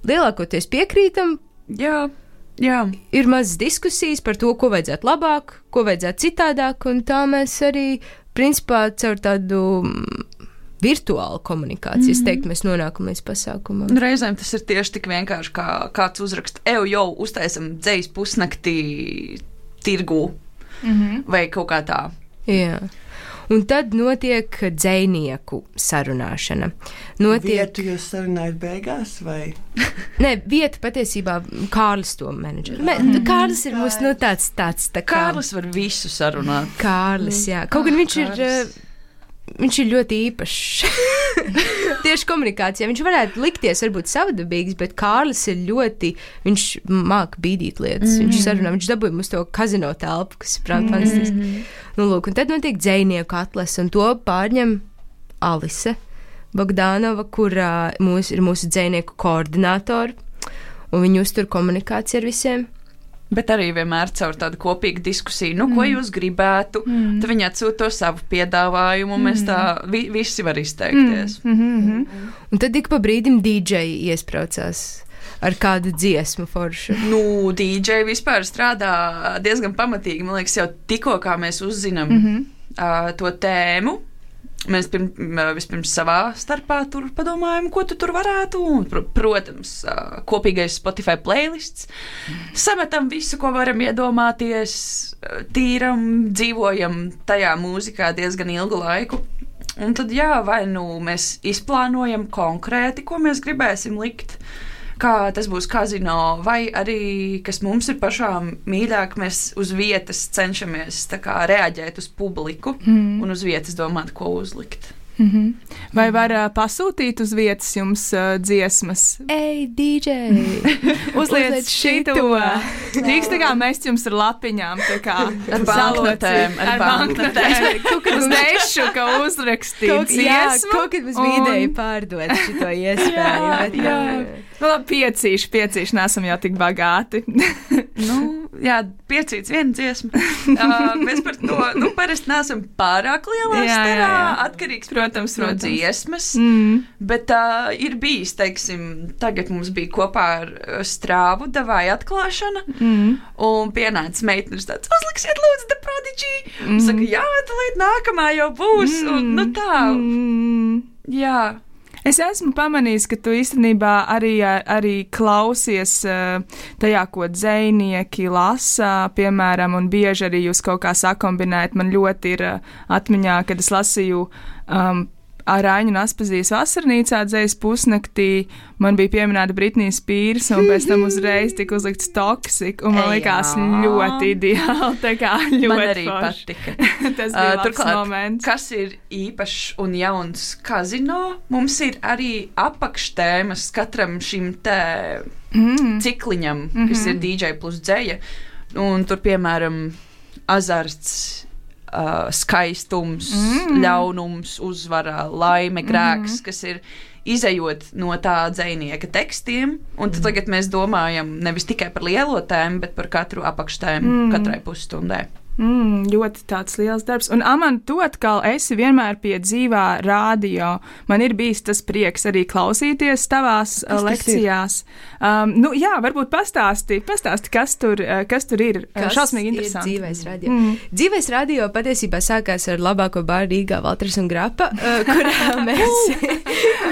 lielākoties piekrītam. Jā. Jā. Ir mazas diskusijas par to, ko vajadzētu labāk, ko vajadzētu citādāk, un tā mēs arī, principā, caur tādu virtuālu komunikāciju, es teiktu, mēs nonākam līdz pasākumam. Reizēm tas ir tieši tik vienkārši, kā kāds uzraksta, eju jau uztaisam dzējas pusnaktī tirgū, mm-hmm. vai kaut kā tā. Jā. Un tad notiek dzejnieku sarunāšana. Notiek... Vietu jūs sarunājat beigās, vai? Nē, vieta patiesībā Kārlis to menedžer. Me, Kārlis ir mums, nu, tāds, tāds, tā kā... Kārlis var visu sarunāt. Kārlis, jā. Kaut gan viņš Kārlis. ir... Viņš ir ļoti īpašs. Tieši komunikācijā. Viņš varētu likties varbūt savdabīgs, bet Kārlis ir ļoti, viņš māk bīdīt lietas. Mm. Viņš sarunā, viņš dabūja mums to kazino telpu, kas ir prāt fantastiski. Mm. Nu, lūk, un tad notiek dzejnieku atlases, un to pārņem Alise Bogdanova, kurā mūs, ir mūsu dzejnieku koordinātori, un viņi uztur komunikāciju ar visiem. Bet arī vienmēr caur tādu kopīgu diskusiju, nu, ko mm. jūs gribētu, mm. tad viņi atsūta to savu piedāvājumu, un mēs tā vi, visi var izteikties. Mm. Mm-hmm. Un tad ik pa brīdim D J iespraucās ar kādu dziesmu foršu. Nu, D J vispār strādā diezgan pamatīgi, man liekas, jau tikko kā mēs uzzinām mm-hmm. uh, to tēmu. Mēs pirm, vispirms savā starpā tur padomājam, ko tu tur varētu. Un, protams, kopīgais Spotify playlists. Sametam visu, ko varam iedomāties, tīram, dzīvojam tajā mūzikā diezgan ilgu laiku. Un tad, jā, vai nu mēs izplānojam konkrēti, ko mēs gribēsim likt, kā tas būs kazino, vai arī, kas mums ir pašām mīļāk, mēs uz vietas cenšamies tā kā reaģēt uz publiku mm. un uz vietas domāt, ko uzlikt. Mm-hmm. Vai var uh, pasūtīt uz vietas jums uh, dziesmas? Ej, D J! Uzliec šito! Drīkst tā kā mest jums ar lapiņām, tā kā ar banknotēm, ar banknotēm. Kaut kad uz nešu, ka uzrakstīt dziesmu. Jā, kaut kad mums un... ideja pārdot šito iespēju. Jā, bet, jā. Nu, labi, piecīši, piecīši, nesam jau tik bagāti. Nu, jā, piecīts viena dziesma. Uh, mēs par to, nu, parasti nesam pārāk lielā jā, starā, jā, jā. atkarīgs, protams, no protams. dziesmas, mm. bet uh, ir bijis, teiksim, tagad mums bija kopā ar Strāvu davāja atklāšana, mm. un pienāca meitenes tāds, uzliksiet lūdzu The Prodigy, mm. un saka, jā, tad nākamā jau būs, mm. un nu tā, mm. jā. Es esmu pamanījis, ka tu īstenībā arī, arī klausies uh, tajā, ko dzejnieki lasa, piemēram, un bieži arī jūs kaut kā sakombinējat. Man ļoti ir uh, atmiņā, kad es lasīju um, Ārāņu un Aspazijas vasarnīcā dzejas pusnaktī, man bija pieminēta Britnija Spears, un pēc tam uzreiz tika uzlikts Toxic, un man likās ļoti ideāli, tā kā ļoti man arī forši. Patika. Tas bija uh, labs moments. Kas ir īpašs un jauns kazino, mums ir arī apakštēmas katram šim te mm. cikliņam, mm-hmm. kas ir D J plus dzeja, un tur, piemēram, azarts, Uh, skaistums, mm. ļaunums, uzvara, laime, grēks, mm. kas ir izejot no tā dzejnieka tekstiem, un tad mm. tagad mēs domājam nevis tikai par lielo tēmu, bet par katru apakštēmu mm. katrai pusstundai. Mm, ļoti tāds liels darbs. Un, Aman, tu atkal esi vienmēr pie dzīvā rādio. Man ir bijis tas prieks arī klausīties tavās kas lekcijās. Um, nu, jā, varbūt pastāsti, pastāsti kas, tur, kas tur ir. Kas šausmīgi interesanti. Ir dzīvais radio? Mm. Dzīvais radio patiesībā sākās ar labāko bāru Rīgā Valters un Grapa, kurā mēs,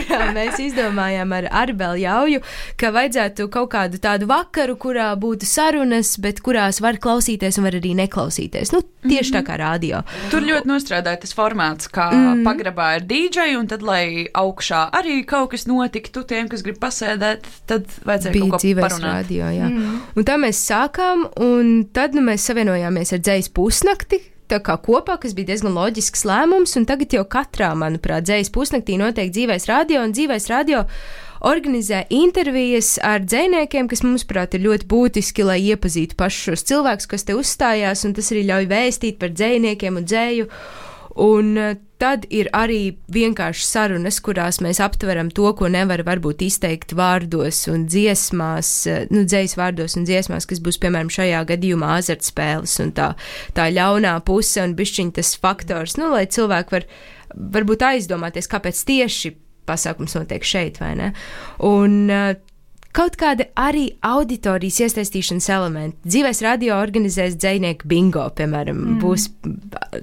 kurā mēs izdomājām ar Arbelu Jauju, ka vajadzētu kaut kādu tādu vakaru, kurā būtu sarunas, bet kurās var klausīties un var arī neklausīties. Nu, tieši mm-hmm. tā kā radio. Tur ļoti nostrādāja tas formāts, kā mm. pagrabā ir D J, un tad, lai augšā arī kaut kas notiktu tiem, kas grib pasēdēt, tad vajadzēja bija kaut ko parunāt. Radio, jā. Mm. Un tā mēs sākām, un tad nu, mēs savienojāmies ar dzejas pusnakti, tā kā kopā, kas bija diezgan loģisks lēmums, un tagad jau katrā, manuprāt, dzejas pusnaktī notiek dzīvais radio, un dzīvais radio organizē intervijas ar dzejniekiem, kas mums, prāt, ir ļoti būtiski, lai iepazītu pašus šos cilvēkus, kas te uzstājās, un tas arī ļauj vēstīt par dzejniekiem un dzēju. Un tad ir arī vienkārši sarunas, kurās mēs aptveram to, ko nevar varbūt izteikt vārdos un dziesmās, nu, dzējas vārdos un dziesmās, kas būs, piemēram, šajā gadījumā azartspēles un tā, tā ļaunā puse un bišķiņ tas faktors, nu, lai cilvēki var varbūt aizdomāties, kāpēc tieši pasākums notiek šeit, vai ne? Un uh, kaut kāda arī auditorijas iesaistīšanas elementi. Dzīvais radio organizēs dzejnieku bingo, piemēram, mm. būs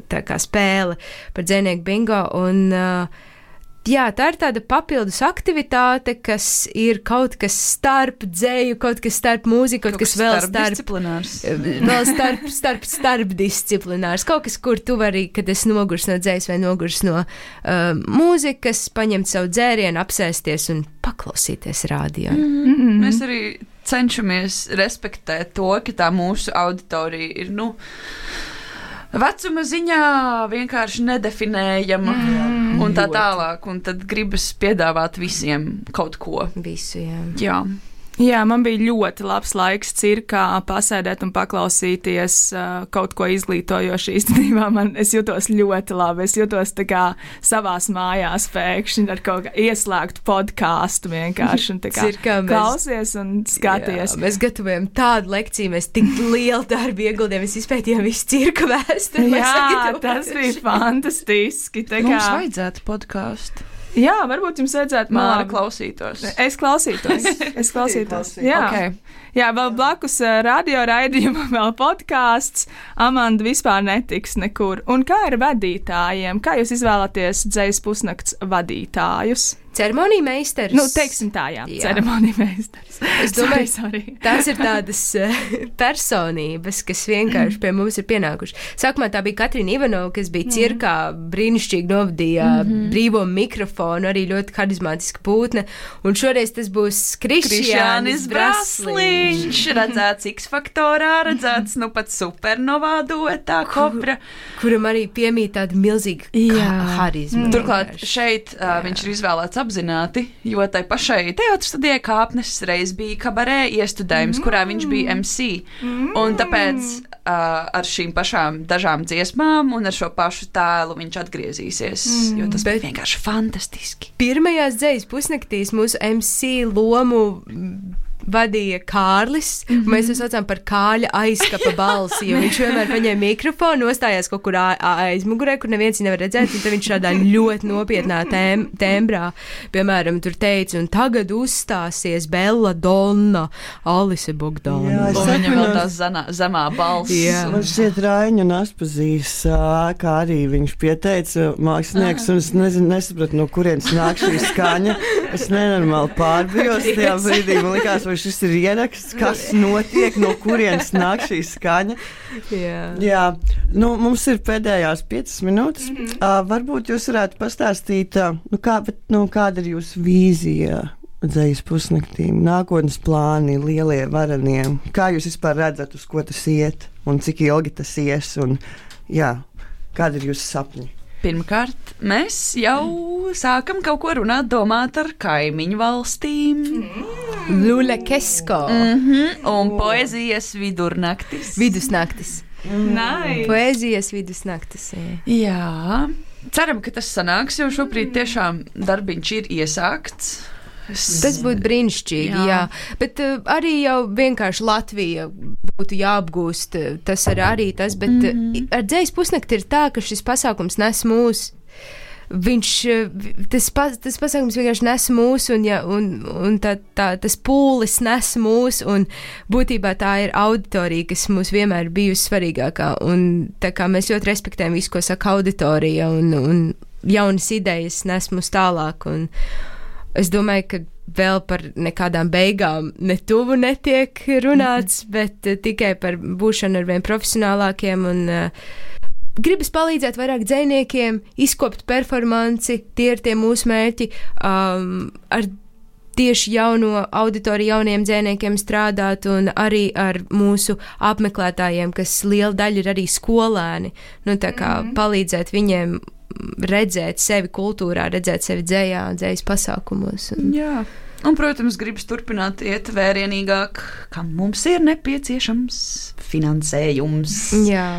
tā kā spēle par dzejnieku bingo, un uh, jā, tā ir tāda papildus aktivitāte, kas ir kaut kas starp dzēju, kaut kas starp mūziku, kaut, kaut kas vēl starp disciplinārs. Vēl starp, starp, starp disciplinārs. Kaut kas, kur tu vari, kad es nogurs no dzējas vai nogurs no uh, mūzikas, paņemt savu dzērienu, apsēsties un paklausīties rādio. Mm-hmm. Mēs arī cenšamies respektēt to, ka tā mūsu auditorija ir, nu, vecuma ziņā vienkārši nedefinējama mm, un tā tālāk, un tad gribas piedāvāt visiem kaut ko. Visu, jā. Jā. Jā, man bija ļoti labs laiks cirkā pasēdēt un paklausīties uh, kaut ko izglītojošu. Īstenībā man, es jutos ļoti labi. Es jutos tā kā savās mājās pēkšņi ar kaut kā ieslēgtu podkāstu vienkārši. Un tā kā cirkā mēs, klausies un skaties. Jā, mēs gatavojam tādu lekciju, mēs tik lielu darbu ieguldījām, mēs izpētījām visu cirka vēsturi. Jā, tas bija fantastiski. Tā kā... Mums vajadzētu podkāstu. Jā, varbūt jums vajadzētu Māra klausītos. Es klausītos. Es klausītos. Jā. Okay. Jā, vēl blakus uh, radio raidījumam vēl podkāsts. Amanda vispār netiks nekur. Un kā ar vadītājiem? Kā jūs izvēlaties Dzejas pusnakts vadītājus? Ceremonija meistars. Nu, teiksim tā, jā. jā. Ceremonija meistars. Es domāju, sorry, sorry. tās ir tādas uh, personības, kas vienkārši pie mums ir pienākuši. Sākumā tā bija Katrīna Ivanova, kas bija cirkā, brīnišķīgi novadīja mm-hmm. brīvo mikrofonu, arī ļoti harizmātiska būtne. Un šoreiz tas būs Krišjānis Brasliņš. Viņš redzēts X-faktorā, redzēts nu pat supernovā duetā Kopra. Kur, kuram arī piemīt tāda milzīga harizma. Mm. Turklāt šeit uh, viņš ir izvēlēts apzināti, jo tai pašai teātris studijai Kāpnes reiz bija kabarē iestudējums, mm. kurā viņš bija M C. Mm. Un tāpēc uh, ar šīm pašām dažām dziesmām un ar šo pašu tēlu viņš atgriezīsies, mm. jo tas Bet bija vienkārši fantastiski. Pirmajās Dzejas pusnaktīs mūsu M C lomu vadīja Kārlis, mm-hmm. un mēs to saucām par Kāļa aizkapa balsi, jo viņš vienmēr paņēma mikrofonu, nostājās kaut kur aizmugurē, kur neviens viņu nevar redzēt, un tad viņš šādā ļoti nopietnā tēm, tēmbrā, piemēram, tur teica, un tagad uzstāsies Bella Donna, Alise Bogdana. Un viņam vēl tā zanā, zemā balss. Man šķiet Raiņu un Aspazīs, kā arī viņš pieteica mākslinieks, un es nezinu, nesapratu, no kurienes nāk šī skaņa. Es nenormāli pārbijos tajā brīdī, man likās, vai šis ir ieraksts, kas notiek, no kurienes nāk šī skaņa. Jā. Jā, nu, mums ir pēdējās piecas minūtes. Mm-hmm. Uh, varbūt jūs varētu pastāstīt, uh, nu, kā, bet, nu, kāda ir jūsu vīzija Dzejas pusnaktīm, nākotnes plāni, lielie varenie? Kā jūs vispār redzat, uz ko tas iet un cik ilgi tas ies? Un, jā, kāda ir jūsu sapņi? Pirmkārt, mēs jau sākam kaut ko runāt, domāt ar kaimiņu valstīm. Mm. Lula Kesko. Mm-hmm. Un poezijas vidurnaktis. Vidusnaktis. Mm. Nice. Poezijas vidusnaktis. Jā. jā. Ceram, ka tas sanāks, jo šobrīd tiešām darbiņš ir iesākts. Tas būtu brīnišķīgi, jā. jā. Bet uh, arī jau vienkārši Latvija būtu jāapgūst, tas ir arī tas, bet mm-hmm. ar Dzejas pusnakti ir tā, ka šis pasākums nes mūs. Viņš, tas, tas pasākums vienkārši nes mūs, un, ja, un, un tā, tā, tas pūlis nes mūs, un būtībā tā ir auditorija, kas mums vienmēr ir bijusi svarīgākā, un tā kā mēs ļoti respektējam visu, ko saka auditorija, un, un jaunas idejas nes mūs tālāk, un es domāju, ka vēl par nekādām beigām ne tuvu netiek runāts, mm-hmm. bet uh, tikai par būšanu ar vien profesionālākiem, un uh, gribas palīdzēt vairāk dzejniekiem, izkopt performanci, tie ir tie mūsu mērķi, um, ar tieši jauno auditoriju, jauniem dzejniekiem strādāt, un arī ar mūsu apmeklētājiem, kas liela daļa ir arī skolēni, nu tā kā mm-hmm. palīdzēt viņiem redzēt sevi kultūrā, redzēt sevi dzējā, dzējas pasākumos. Un... Jā. Un, protams, gribas turpināt iet vērienīgāk, kam mums ir nepieciešams finansējums. Jā.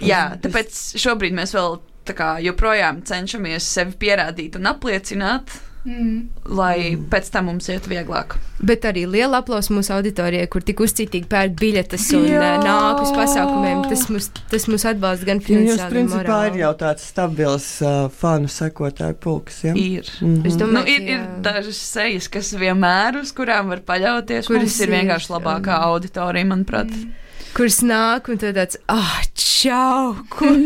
Jā, tāpēc šobrīd mēs vēl tā kā joprojām cenšamies sevi pierādīt un apliecināt, mm. lai pēc tam mums iet vieglāk. Bet arī liela aplausa mūsu auditorijai, kur tik uzcītīgi pērk biļetes un Jā. nāk uz pasākumiem. Tas mūs, tas mūs atbalsta gan finansiāli, gan principā morāli. Ir jau tāds stabils uh, fanu sekotāju pulks, ja? Ir. Mm-hmm. Es domāju, nu, ir, ir dažas sejas, kas vienmēr uz kurām var paļauties. Kuras mums ir vienkārši labākā um, auditorija, manuprāt. Mm. Kuras nāk un tad tāds, ah, čau, kur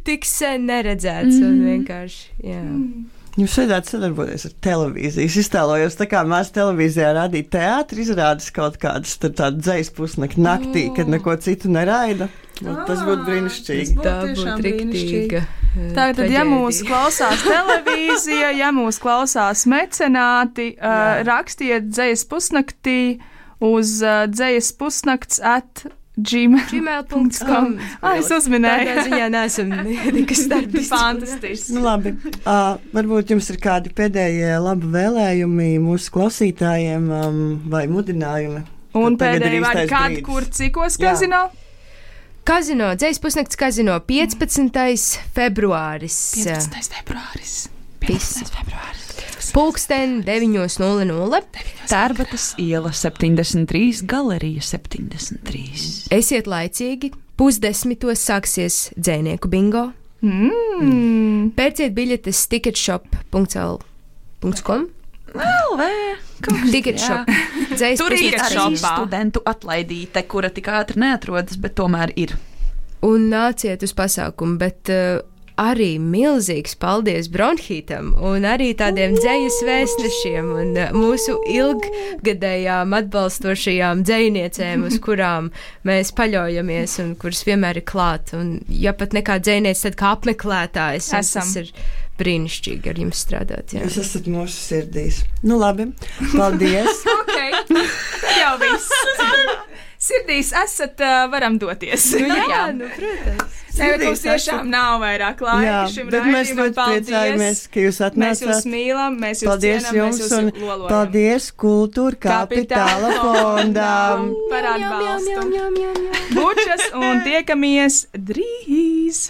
tik sen neredzēts. Mm. Un vienkārši, jā. Mm. Jums vajadzētu sadarboties ar televīziju. Es iztēlojos, tā kā mēs televīzijā rādītu teātri, izrādes kaut kādas tādu dzejas pusnakti naktī, oh. kad neko citu neraida. Ah, tas būtu brīnišķīgi. Tā būtu riktīga. Tātad, ja mūs klausās televīzija, ja mūs klausās mecenāti, uh, rakstiet dzejas pusnaktī uz uh, dzejas pusnakts at gmail punkts com. Ah, es uzminēju. Tādā ziņā neesam nekas darbis. Fantastiski. Nu, labi. Uh, varbūt jums ir kādi pēdējie labi vēlējumi mūsu klausītājiem um, vai mudinājumi. Un pēdējie vārdi, kad, kur, cikos kazino? Kazino, dzejas pusnakts kazino, piecpadsmitais februāris. piecpadsmitais februāris. piecpadsmitais februāris. Pulksten deviņi nulle nulle. Tērbatas iela septiņdesmit trīs, galerija septiņdesmit trīs. Esiet laicīgi, pusdesmitos sāksies dzejnieku bingo. Mm. Pērciet biļetes ticketshop punkts l punkts com. L V. Ticketshop. Dzejas Tur ir pusnakts arī studentu atlaidīte, kura tik ātri neatrodas, bet tomēr ir. Un nāciet uz pasākumu, bet uh, arī milzīgs paldies Bronhītam un arī tādiem dzejas vēstnešiem un uh, mūsu ilggadējām atbalstošajām dzejniecēm, uz kurām mēs paļaujamies un kuras vienmēr ir klāt. Un ja pat nekā dzejniec, tad kā apmeklētājs. Tas ir brīnišķīgi ar jums strādāt. Jā. Jūs esat mūsu sirdīs. Nu labi, paldies. Ok, jau viss. Sirdīs esat, uh, varam doties. Nu, jā, jā, nu, protams. Nē, bet mums tiešām nav vairāk laika jā, šim bet mēs raidījumam. ļoti priecājamies, ka jūs atnācāt. Mēs jūs mīlam, mēs jūs paldies cienam, jums mēs jūs un lolojam. paldies Kultūra Kapitāla fondam. Par atbalstu. Bučas un tiekamies drīz!